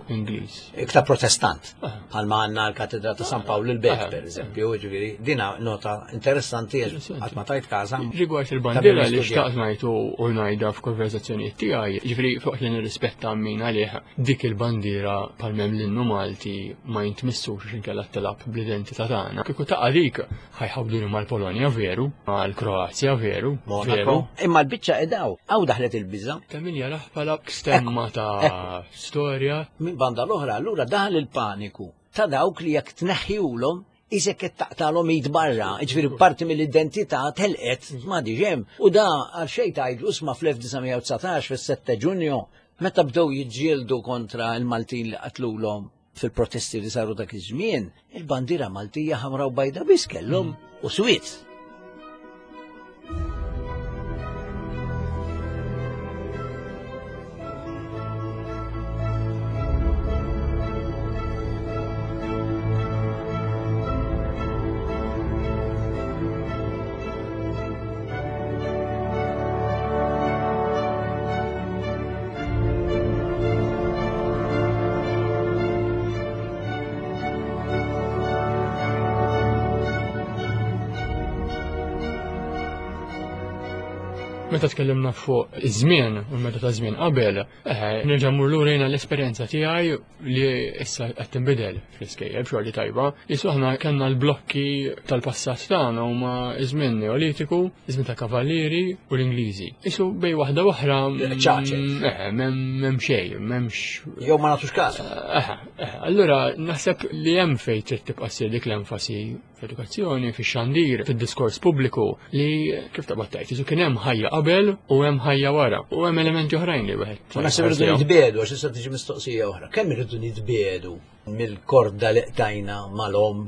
B: Ingliż.
A: Iktar Protestant. Ah. Bħalma għandna l-Katedra ta' San Pawl il-Belt, ah. per eżempju, ġifieri dina nota interessanti għax ma tajt każa.
B: Rigward il-bandiera li xtaqt ngħid u ngħidha f'konversazzjonijiet tiegħi, ġifieri fuq li nirrispetta min għalih dik il-bandiera bħal m'hemm l-innu Malti ma jintmissux għax inkella tilgħab bl-identità tagħna. Kieku taqa' dik ħajħawduni mal-Polonja veru, mal-Kroazja veru, veru.
A: Imma l-biċċa edaw, hawn daħlet il-biża'.
B: Ta' min jarah bħala stemma ta' storja.
A: Minn banda l-oħra allura daħal il-paniku ta' dawk li jekk tneħħiulhom isek qed taqtalhom id barra, jiġifieri parti mill-identità telqet m'għadix hemm. U da għal xejn tgħidlu isma' fl-1919 fis-7 Ġunju meta bdew jiġġieldu kontra l-Maltin li qatlulhom fil-protesti li saru dak iż-żmien, il-bandiera Maltija ħamra u bajda biss kellhom u swiet.
B: Meta tkellimna fuq iż-żmien u meta ta' żmien qabel, eh, nerġa' mmur lura jiena l-esperjenza tiegħi li issa qed tinbidel fl-iskejjel b'xorti tajba. Isu aħna kellna l-blokki tal-passat tagħna huma iż-żmien Neolitiku, iż-żmien ta' Kavallieri u l-Ingliżi. Isu bej waħda oħra
A: ċaċet.
B: Eh, m'hemm xejn, m'hemmx.
A: Jew ma nagħtux każ.
B: Eh, eh, allura naħseb li hemm fejn trid tibqa' ssir dik l-enfasi fl-edukazzjoni, fix-xandir, fid-diskors pubbliku li kif taqbad tgħid, isu kien hemm ħajja qabel u hemm ħajja wara u hemm elementi oħrajn li wieħed.
A: U naħseb irridu nitbiedu għax issa tiġi mistoqsija oħra. Kemm irridu nitbiedu mill-korda li qtajna mal-omm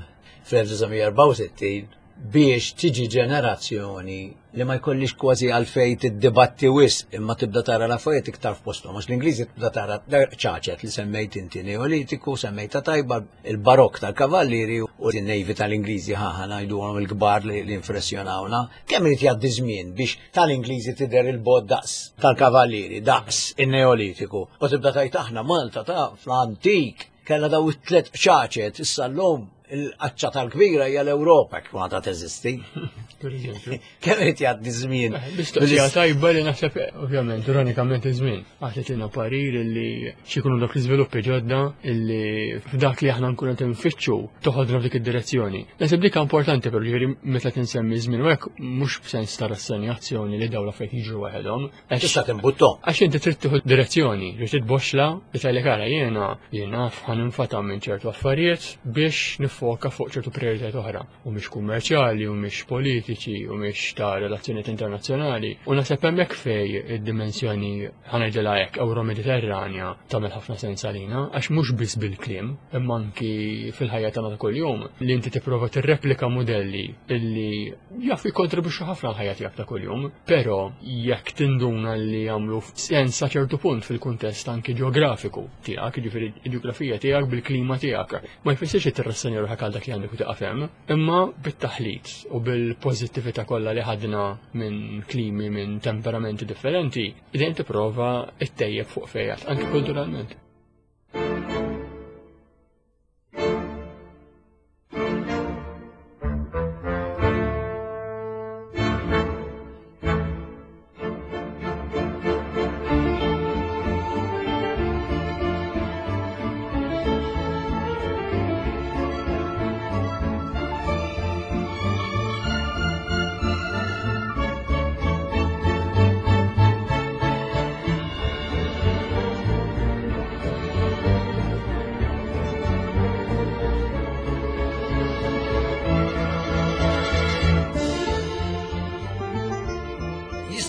A: fl-1964 biex tiġi ġenerazzjoni li ma jkollix kważi għalfej tiddibatti wisq imma tibda tara l-affarijiet iktar f'posthom għax l-Ingliżi tibda tara ċaċet li semmejt inti Neolitiku, semmejta tajba il-Barokk tal-Kavallieri u n-Navy tal-Ingliżi ħaħa ngħidulhom il-kbar li impressjonawna. Kemm irid jgħaddi żmien biex tal-Ingliżi tidher il-bogħod daqs tal-Kavallieri, daqs in-Neolitiku u tibda tgħid aħna Malta ta' fl-antik kellha daw it-tliet qċaċet issa llum il-qaċċa tal-kbira hija l-Ewropa kif għadha teżisti. Kemm irid jgħaddi żmien.
B: Eh, mistoqsija tajba li naħseb ovvjament ironikament iż-żmien. Għatetina parir li xikunu dak l-iżviluppi ġodda illi f'dak li aħna nkunu qed nfittxu toħodna f'dik id-direzzjoni. Naħseb dik importanti però ġifieri meta tinsemmi żmien u hekk mhux b'sens ta' rassenjazzjoni li dawn l-affarijiet jiġru waħedhom,
A: Tista' timbuttom.
B: Għax inti trid tieħu direzzjoni, trid titboxla li tgħidlek ara jiena jiena ħa ninfata minn ċertu affarijiet biex nifoka fuq ċertu prijoritajiet oħra. U mhix kummerċjali, u mhix politiċi, u mhix ta' relazzjonijiet internazzjonali. U naħseb hemmhekk fej id-dimensjoni ħa ngħidilha hekk Ewro-Mediterranja tagħmel ħafna sens għalina, għax mhux biss bil-kliem, imma anki fil-ħajja tagħna ta' kuljum li inti tipprova tirreplika mudelli illi jaf jikkontribwixxu ħafna l-ħajja tiegħek ta' kuljum, però jekk tinduna li jagħmlu sens sa ċertu punt fil-kuntest anki ġeografiku tiegħek, jiġifieri l-ġeografija tiegħek bil-klima tiegħek. Ma jfissirx li tirrassenja ruħek għal dak li għandek u tieqaf hemm, imma bit-taħlit u bil-pożittività kollha li ħadna minn klimi minn temperamenti differenti, dejjem tipprova ttejjeb fuq fejn anki kulturalment.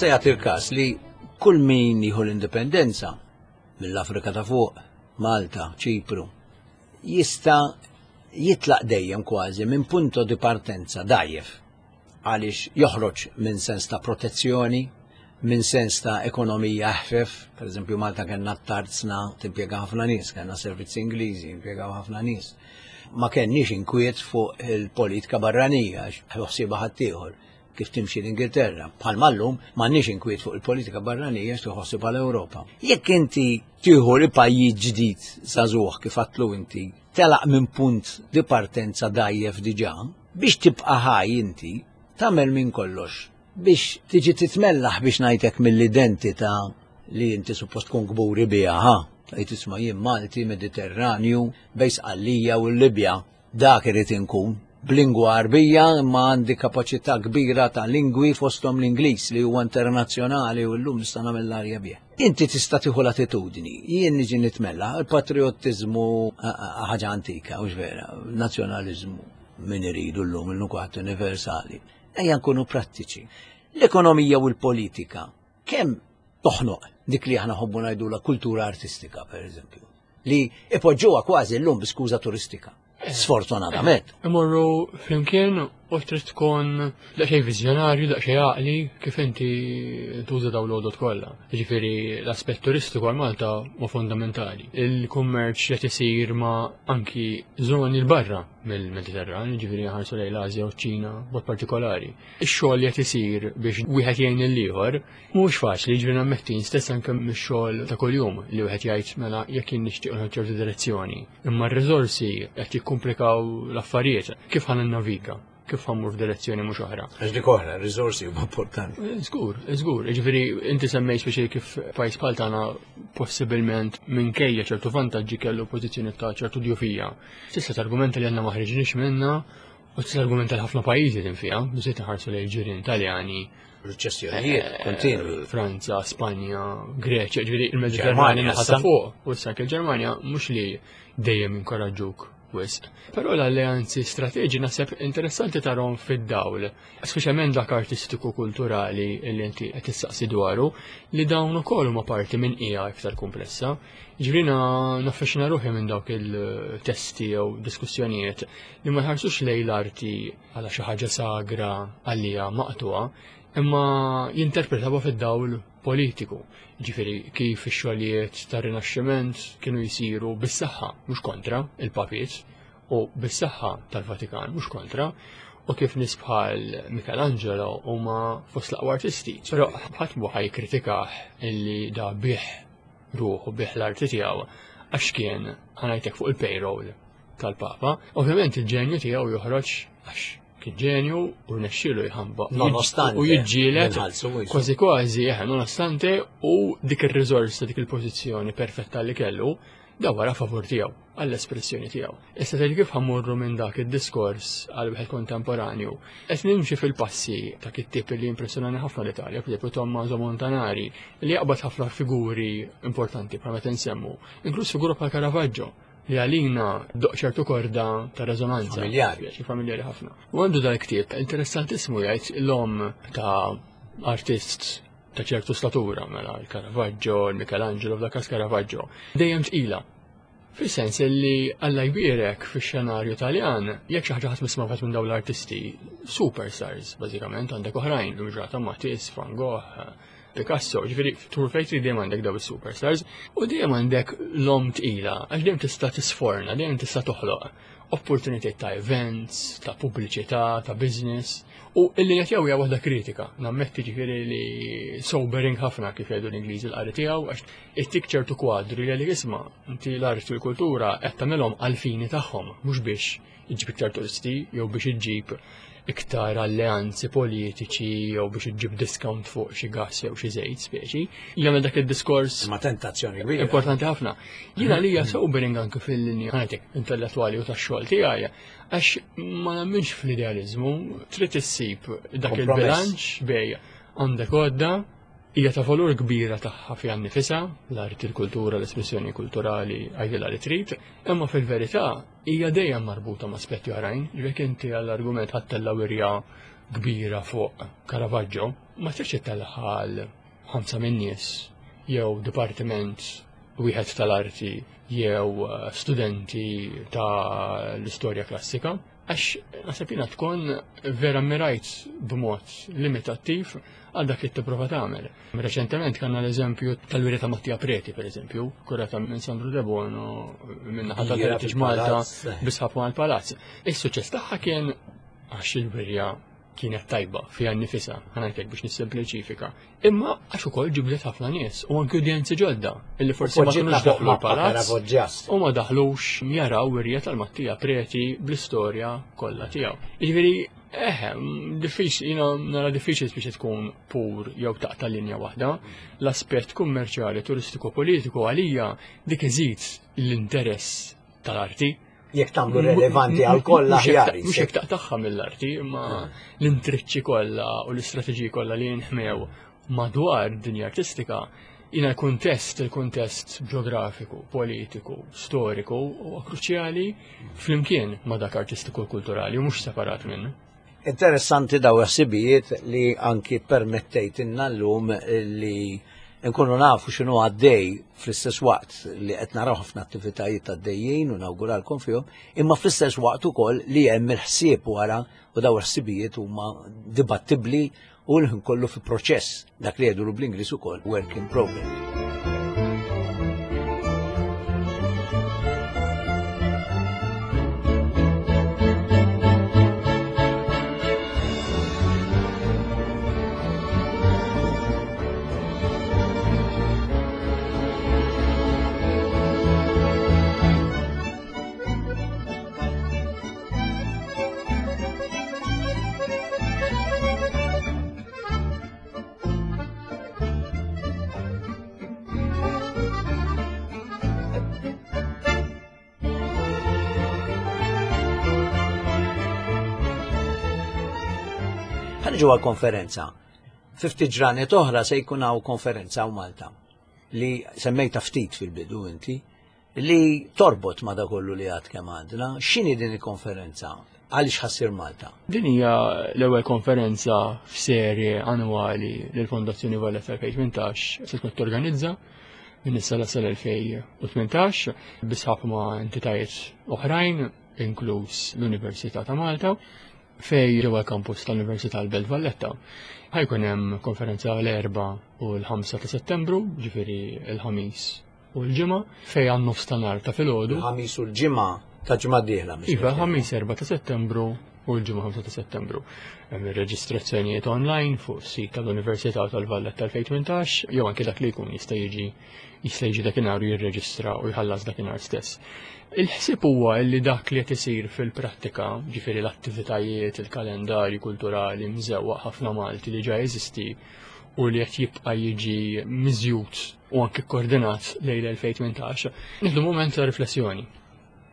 A: Jista' jagħti l-każ li kull min jieħu l-indipendenza mill-Afrika ta' fuq, Malta, Ċipru, jista' jitlaq dejjem kważi minn punto di partenza dgħajjef għaliex joħroġ minn sens ta' protezzjoni, minn sens ta' ekonomija eħfef, per eżempju Malta kellna t-tarzna timpjega ħafna nies, kellna servizzi Ingliżi jimpjegaw ħafna nies. Ma kenniex inkwiet fuq il-politika barranija, ħsiebha ħaddieħor kif timxi l-Ingilterra. Bħal mallum m'għandniex inkwiet fuq il-politika barranija x'tieħu ħsieb l-Ewropa. Jekk inti tieħu li pajjiż ġdid żagħżugħ kif għatlu inti, telaq minn punt di partenza dgħajjef diġà, biex tibqa' ħaj inti tagħmel minn kollox biex tiġi titmellaħ biex ngħidlek mill-identità li inti suppost tkun kburi biha, ha? Tgħid isma' jien Malti, Mediterranju, bejn Sqallija u l-Libja. Dak irid inkun. B'lingwa Għarbija imma għandi kapaċità kbira ta' lingwi fosthom l-Ingliż li huwa internazzjonali u llum nista' nagħmel l-arja bih. Inti tista' tieħu l-attitudni, jien niġi nitmella, il-patriottiżmu ħaġa antika, hux vera, nazzjonaliżmu min iridu llum illum kulħadd universali. Ejja nkunu prattiċi. L-ekonomija u l-politika kemm toħnoq dik li aħna ħobbu ngħidula kultura artistika, per eżempju, li ipoġġuha kważi llum bi skuża turistika. Sfortunatament.
B: Imorru flimkien u trid tkun daqsxejn viżjonarju, daqsxejn għaqli kif inti tuża dawn l-għodod kollha. Jiġifieri l-aspett turistiku għal Malta huwa fundamentali. Il-kummerċ qed isir ma' anki żoni l barra mill-Mediterran, jiġifieri ħarsu lejn l-Asja u ċ-Ċina b'mod partikolari. Ix-xogħol li qed isir biex wieħed jgħin lill-ieħor Mhuwiex faċli, jiġifieri nammetti stess anke mix-xogħol ta' kuljum li wieħed jgħid mela jekk jien nixtieq nieħu ċertu direzzjoni. Imma r-riżorsi qed jikkumplikaw l-affarijiet. Kif ħa ninnaviga? Kif ħa mmur f'direzzjoni mhux oħra?
A: Għax dik oħra, r-riżorsi huma importanti.
B: Eh, żgur, żgur. Jiġifieri inti semmejt speċi kif pajjiż bħal tagħna possibilment minkejja ċertu vantaġġi kellu pożizzjoni ta' ċertu djufija. Tista' targumenta li għandna ma ħriġniex minnha U tista' argumenta li ħafna pajjiżi din fiha, biżejt iħarsu lejn ġirien Taljani.
A: Riċessjonijiet eh, kontinwi.
B: Franza, Spanja, Greċja, ġifieri il-Mediterran naħa ta' fuq. U issa anke l-Ġermanja mhux li dejjem inkoraġġuk wisq. Però l-alleanzi strateġi naħseb interessanti tarhom fid-dawl, speċjalment dak artistiku kulturali li inti qed tistaqsi dwaru, li dawn ukoll huma parti minn hija iktar komplessa. Ġifieri naffaxxina ruħi minn dawk il-testi jew diskussjonijiet li ma jħarsux lejn l-arti għala xi ħaġa sagra għalija maqtuha, imma jinterpretawha fid-dawl politiku. Ġifieri kif ix-xogħlijiet tar-Rinaxximent kienu jsiru bis-saħħa, mhux kontra il-papiet, u bis-saħħa tal-Vatikan, mhux kontra, u kif nies bħal Michelangelo huma fost l-aqwa artisti. Però ħadd mhu ħajkritikah illi da bih ruħu bih l-arti tiegħu għax kien ħanajtek fuq il-payroll tal-Papa. Ovvjament il-ġenju tiegħu joħroġ għax kien ġenju u rnexxielu jħamba.
A: Nonostante.
B: U jiġġieled kważi kważi, eh, nonostante u dik ir-riżorsa, dik il-pożizzjoni perfetta li kellu, da wara favur tiegħu, għall-espressjoni tiegħu. Issa tgħid kif ħammurru minn dak id-diskors għal wieħed kontemporanju. Qed nimxi fil-passi ta' kittieb li impressjonani ħafna l-Italja, per Tommaso Montanari, li jaqbad ħafna figuri importanti bħal meta nsemmu, inkluż figura bħal Caravaggio li għalina doq ċertu korda ta' rezonanza.
A: Familjari.
B: Familjari ħafna. U għandu dal-ktieb interessantissimu jgħid l-om ta' artist ta' ċertu statura, mela il-Caravaggio, il-Michelangelo, f'dak każ Caravaggio. Dejjem tqila. Fis-sens li Alla jbierek fix-xenarju Taljan, jekk xi ħaġa ħadd misma' minn dawn l-artisti, superstars bażikament għandek oħrajn, l-ġrata Matisse, Van Gogh, Picasso, ġifieri tur fejn trid dejjem għandek daw is-superstars u dejjem għandek l-om tqila, għax dejjem tista' tisforna, dejjem tista' toħloq opportunitajiet ta' events, ta' pubbliċità, ta' business. U il-linja tiegħu hija waħda kritika, nammetti ġifieri li sobering ħafna kif jgħidu l-Ingliżi l-qari tiegħu għax ittik ċertu kwadri li għalik isma' inti l-arti u l-kultura qed tagħmilhom għall-fini tagħhom, mhux biex iġġib iktar turisti jew biex iġġib iktar alleanzi politiċi jew biex iġġib discount fuq xi gas jew xi żejt speċi. Jagħmel dak id-diskors.
A: Ma tentazzjoni kbira.
B: Importanti ħafna. Jiena li hija sobering anke fil-linja ħanetik intellettwali u tax-xogħol tiegħi għax ma nemminx fl-idealiżmu, trid issib dak il-bilanċ bej għandek għodda hija ta' valur kbira tagħha fiha nnifisha, l-arti, l-kultura, l-espressjoni kulturali, għajdilha li trid, imma fil-verità hija dejjem marbuta ma' aspetti oħrajn, jekk inti għall-argument ħa ttella' wirja kbira fuq Caravaggio, ma tridx ittellagħha għal ħamsa min-nies jew dipartiment wieħed tal-arti jew studenti ta' l-istorja klassika, għax naħseb jiena tkun vera mirajt b'mod limitattiv għal dak li tipprova tagħmel. Reċentement kellna l-eżempju tal-wirja ta' Mattia Preti, per eżempju, kurata minn Sandro De Bono minn naħa tal-Heritage Malta bisħab mal-Palazz. Is-suċċess tagħha kien għax il-wirja kienet tajba fiha nnifisha, ħanajtek biex nissempliċifika. Imma għax ukoll ġibdet ħafna nies u anki udjenzi ġodda illi forsi ma kinux daħlu l-palazz u ma daħlux jaraw wirja tal-Mattia Preti bl-istorja kollha tiegħu. Jiġifieri eħe, diffiċli, jiena nara diffiċli biex tkun pur jew taqta' linja waħda. L-aspett kummerċjali, turistiku, politiku għalija dik iżid l-interess tal-arti
A: jekk tagħmlu relevanti għal kollha aħjar.
B: Mhux jekk taqtagħha mill-arti, imma l-intriċċi kollha u l-istrateġiji kollha li jinħmew madwar dinja artistika jina l-kuntest, il-kuntest ġeografiku, politiku, storiku huwa kruċjali flimkien ma' dak artistiku u kulturali u mhux separat minnu.
A: Interessanti daw ħsibijiet li anki permettejtinna llum li nkunu nafu x'inhu għaddej fl-istess waqt li qed naraw ħafna attivitajiet għaddejjin u nawguralkom fihom, imma fl-istess waqt ukoll li hemm il-ħsieb wara u daw il-ħsibijiet huma dibattibbli u l-ħin kollu fi proċess dak li jgħidu bl-Ingliż ukoll work in progress. Ħanġu għal konferenza. Fifti ġranet oħra se jkun hawn konferenza hawn Malta li semmejta ftit fil-bidu inti li torbot ma' dak kollu li għad kemm għandna. X'inhi din il-konferenza? Għaliex ħassir Malta?
B: Din hija l-ewwel konferenza f'serje annwali li l-Fondazzjoni Valletta 2018 se tkun torganizza minn issa la sal-2018 bisħab ma' entitajiet oħrajn, inkluż l-Università ta' Malta, fej ġewwa l-kampus tal-Università l-Belt Valletta. Ħajkun hemm konferenza l-4 u l-5 ta' Settembru, ġifieri l-ħamis u l-ġimgħa, fej għan nofs ta' nar ta' filgħodu.
A: Il-ħamis u l-ġimgħa ta' ġimgħa dieħla.
B: Iva, ħamis 4 ta' Settembru u l-ġimgħa 5 ta' Settembru. Hemm ir-reġistrazzjonijiet online fuq sit tal-Università tal-Valletta 2018 jew anke dak li jkun jista' jiġi jista' jiġi dakinhar u jirreġistra u jħallas dakinhar stess. Il-ħsieb huwa li dak li qed isir fil-prattika, ġifieri l-attivitajiet, il-kalendarju kulturali mżewwaq ħafna Malti li ġa jeżisti u li qed jibqa' jiġi miżjud u anke koordinat lejn l-2018, nieħdu mument ta' riflessjoni.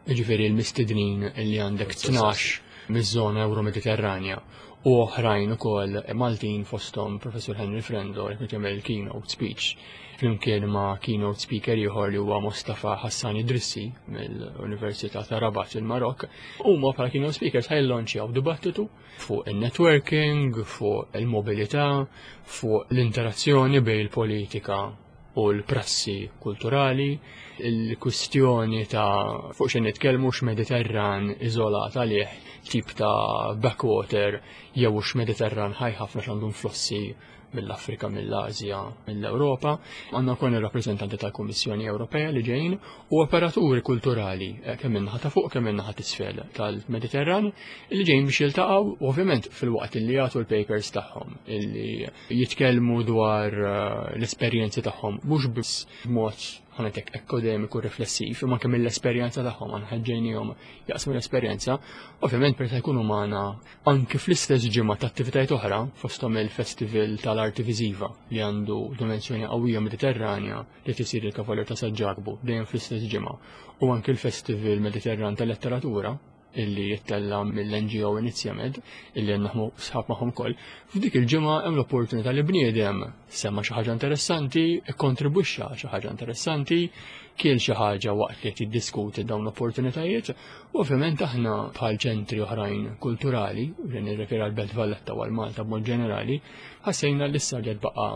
B: Jiġifieri l-mistednin li għandek 12 miż-żona Euro-Mediterranja u oħrajn ukoll Maltin fosthom Professur Henry Frendo li qed jagħmel keynote speech flimkien ma' keynote speaker ieħor li huwa Mustafa Hassan Idrissi mill-Università ta' Rabat il-Marok. Huma bħala keynote speakers ħajlonċjaw dibattitu fuq il-networking, fuq il-mobilità, fuq l-interazzjoni bejn il-politika u l-prassi kulturali, il-kwistjoni ta' fuq xejn nitkellmu x'Mediterran iżolat għalih tip ta' backwater jew x'Mediterran ħaj ħafna x'għandu influssi mill-Afrika, mill-Asja, mill-Ewropa. Għandna wkoll ir-rappreżentanti tal-Kummissjoni Ewropea li ġejjin u operaturi kulturali eh, kemm min-naħa ta' fuq kemm min-naħa t'isfel tal-Mediterran li ġejjin biex jiltaqgħu ovvjament fil-waqt li jagħtu l-papers tagħhom illi jitkellmu dwar eh, l-esperjenzi tagħhom mhux biss b'mod ħanetek akademiku riflessiv, imma kemm l-esperjenza tagħhom aħna ħeġġejnihom jaqsmu l-esperjenza, ovvjament per se jkunu magħna anki fl-istess ġimgħa ta' attivitajiet oħra fosthom il-Festival tal-Arti Viżiva li għandu dimensjoni qawwija Mediterranja li tisir il-Kavalier ta' San Ġakbu dejjem fl-istess ġimgħa u anki l-Festival Mediterran tal-Letteratura illi jittella mill-NGO Inizjamed illi naħmu sħab magħhom ukoll. F'dik il-ġimgħa hemm l-opportunità li bniedem semma xi ħaġa interessanti, ikkontribwixxa xi ħaġa interessanti, kiel xi ħaġa waqt li qed jiddiskuti dawn l-opportunitajiet U ovvjament aħna bħal ċentri oħrajn kulturali, li nirreferi għal Belt Valletta u għal Malta b'mod ġenerali, ħassejna li issa li baqa'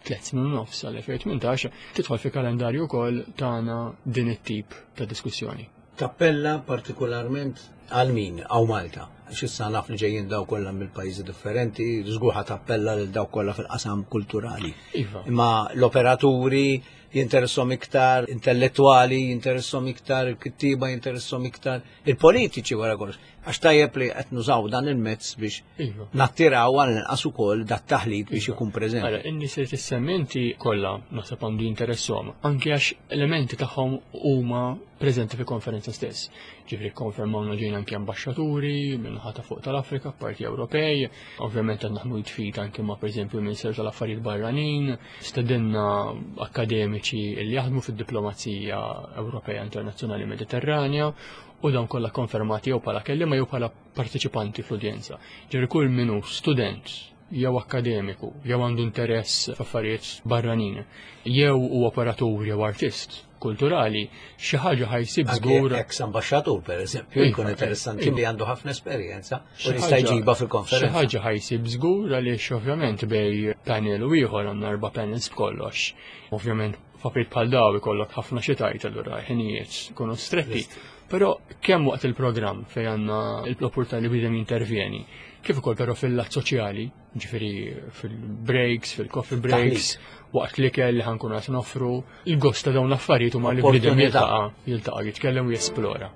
B: 3 snin u nofs għal-2018 tidħol fi kalendarju wkoll tagħna din it-tip ta' diskussjoni.
A: Tappella partikolarment għal min għaw Malta? Għax issa naf li ġejjin daw kollha mill-pajjiżi differenti, żgur ħa tappella lil dawk kollha fil-qasam kulturali.
B: Iva.
A: Imma l-operaturi jinteressom iktar, intellettuali jinteressom iktar, il-kittiba jinteressom iktar, il-politiċi wara kollox. Għax tajjeb li qed nużaw dan il-mezz biex
B: iva.
A: nattiraw għal inqas ukoll dat taħlit biex
B: iva.
A: ikun preżenti.
B: Ara, in-nies li tissemmi inti kollha naħseb għandu jinteressom, anke għax elementi tagħhom huma preżenti fil-konferenza stess. Ġifieri konfermawna ġejna anke ambaxxaturi minn ħata fuq tal-Afrika, parti Ewropej, ovvjament qed naħdmu jitfit anke ma' pereżempju Ministeru tal-Affarijiet Barranin, stedinna akkademiċi li jaħdmu fid-diplomazija Ewropea Internazzjonali Mediterranja u dawn kollha konfermati jew bħala kelliema jew bħala partiċipanti fl-udjenza. Ġifieri kull min hu student jew akkademiku jew għandu interess f'affarijiet barranin jew hu operatur jew artist kulturali, xi ħaġa ħajsib żgur.
A: Ex ambaxxatur pereżempju,
B: Iva,
A: jkun interessanti
B: iva.
A: li għandu ħafna esperjenza u
B: Xi
A: jista'
B: ħaġa-
A: jġibha
B: Xi
A: fil-konferenza.
B: ħaġa ħajsib żgur għaliex ovvjament bej panel u ieħor għandna erba' panels b'kollox. Ovvjament f'affarijiet bħal daw ikollok ħafna xi tajt allura ħinijiet ikunu stretti. Però kemm waqt il-programm fejn għandna l-opportunità li bidem jintervjeni, kif ukoll però fil-lat soċjali, ġifieri fil-breaks, fil-coffee breaks, waqt l-ikel li ħankun qed noffru, il-gost ta' dawn l-affarijiet huma li bniedem
A: Opportunità.
B: jiltaqa' jiltaqa' jitkellem u jesplora.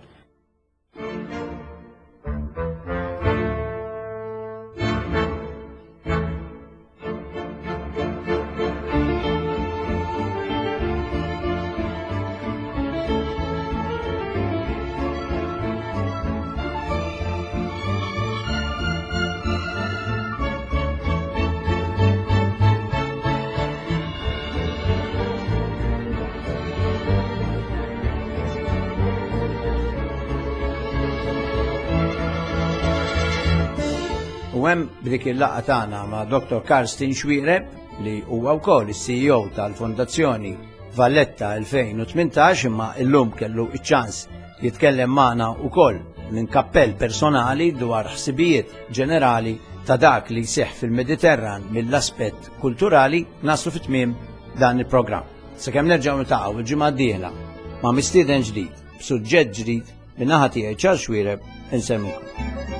A: U hemm b'dik il-laqgħa tagħna ma' Dr. Karsten Xuereb li huwa wkoll is-CEO tal-Fondazzjoni Valletta 2018 imma illum kellu iċ-ċans jitkellem magħna wkoll minn kappell personali dwar ħsibijiet ġenerali ta' dak li jseħħ fil-Mediterran mill-aspett kulturali naslu fit-tmiem dan il-programm. Sakemm nerġgħu niltaqgħu il-ġimgħa d-dieħla ma' mistieden ġdid, b'suġġett ġdid, min-naħa tiegħi Charles Xuereb insellmilkom.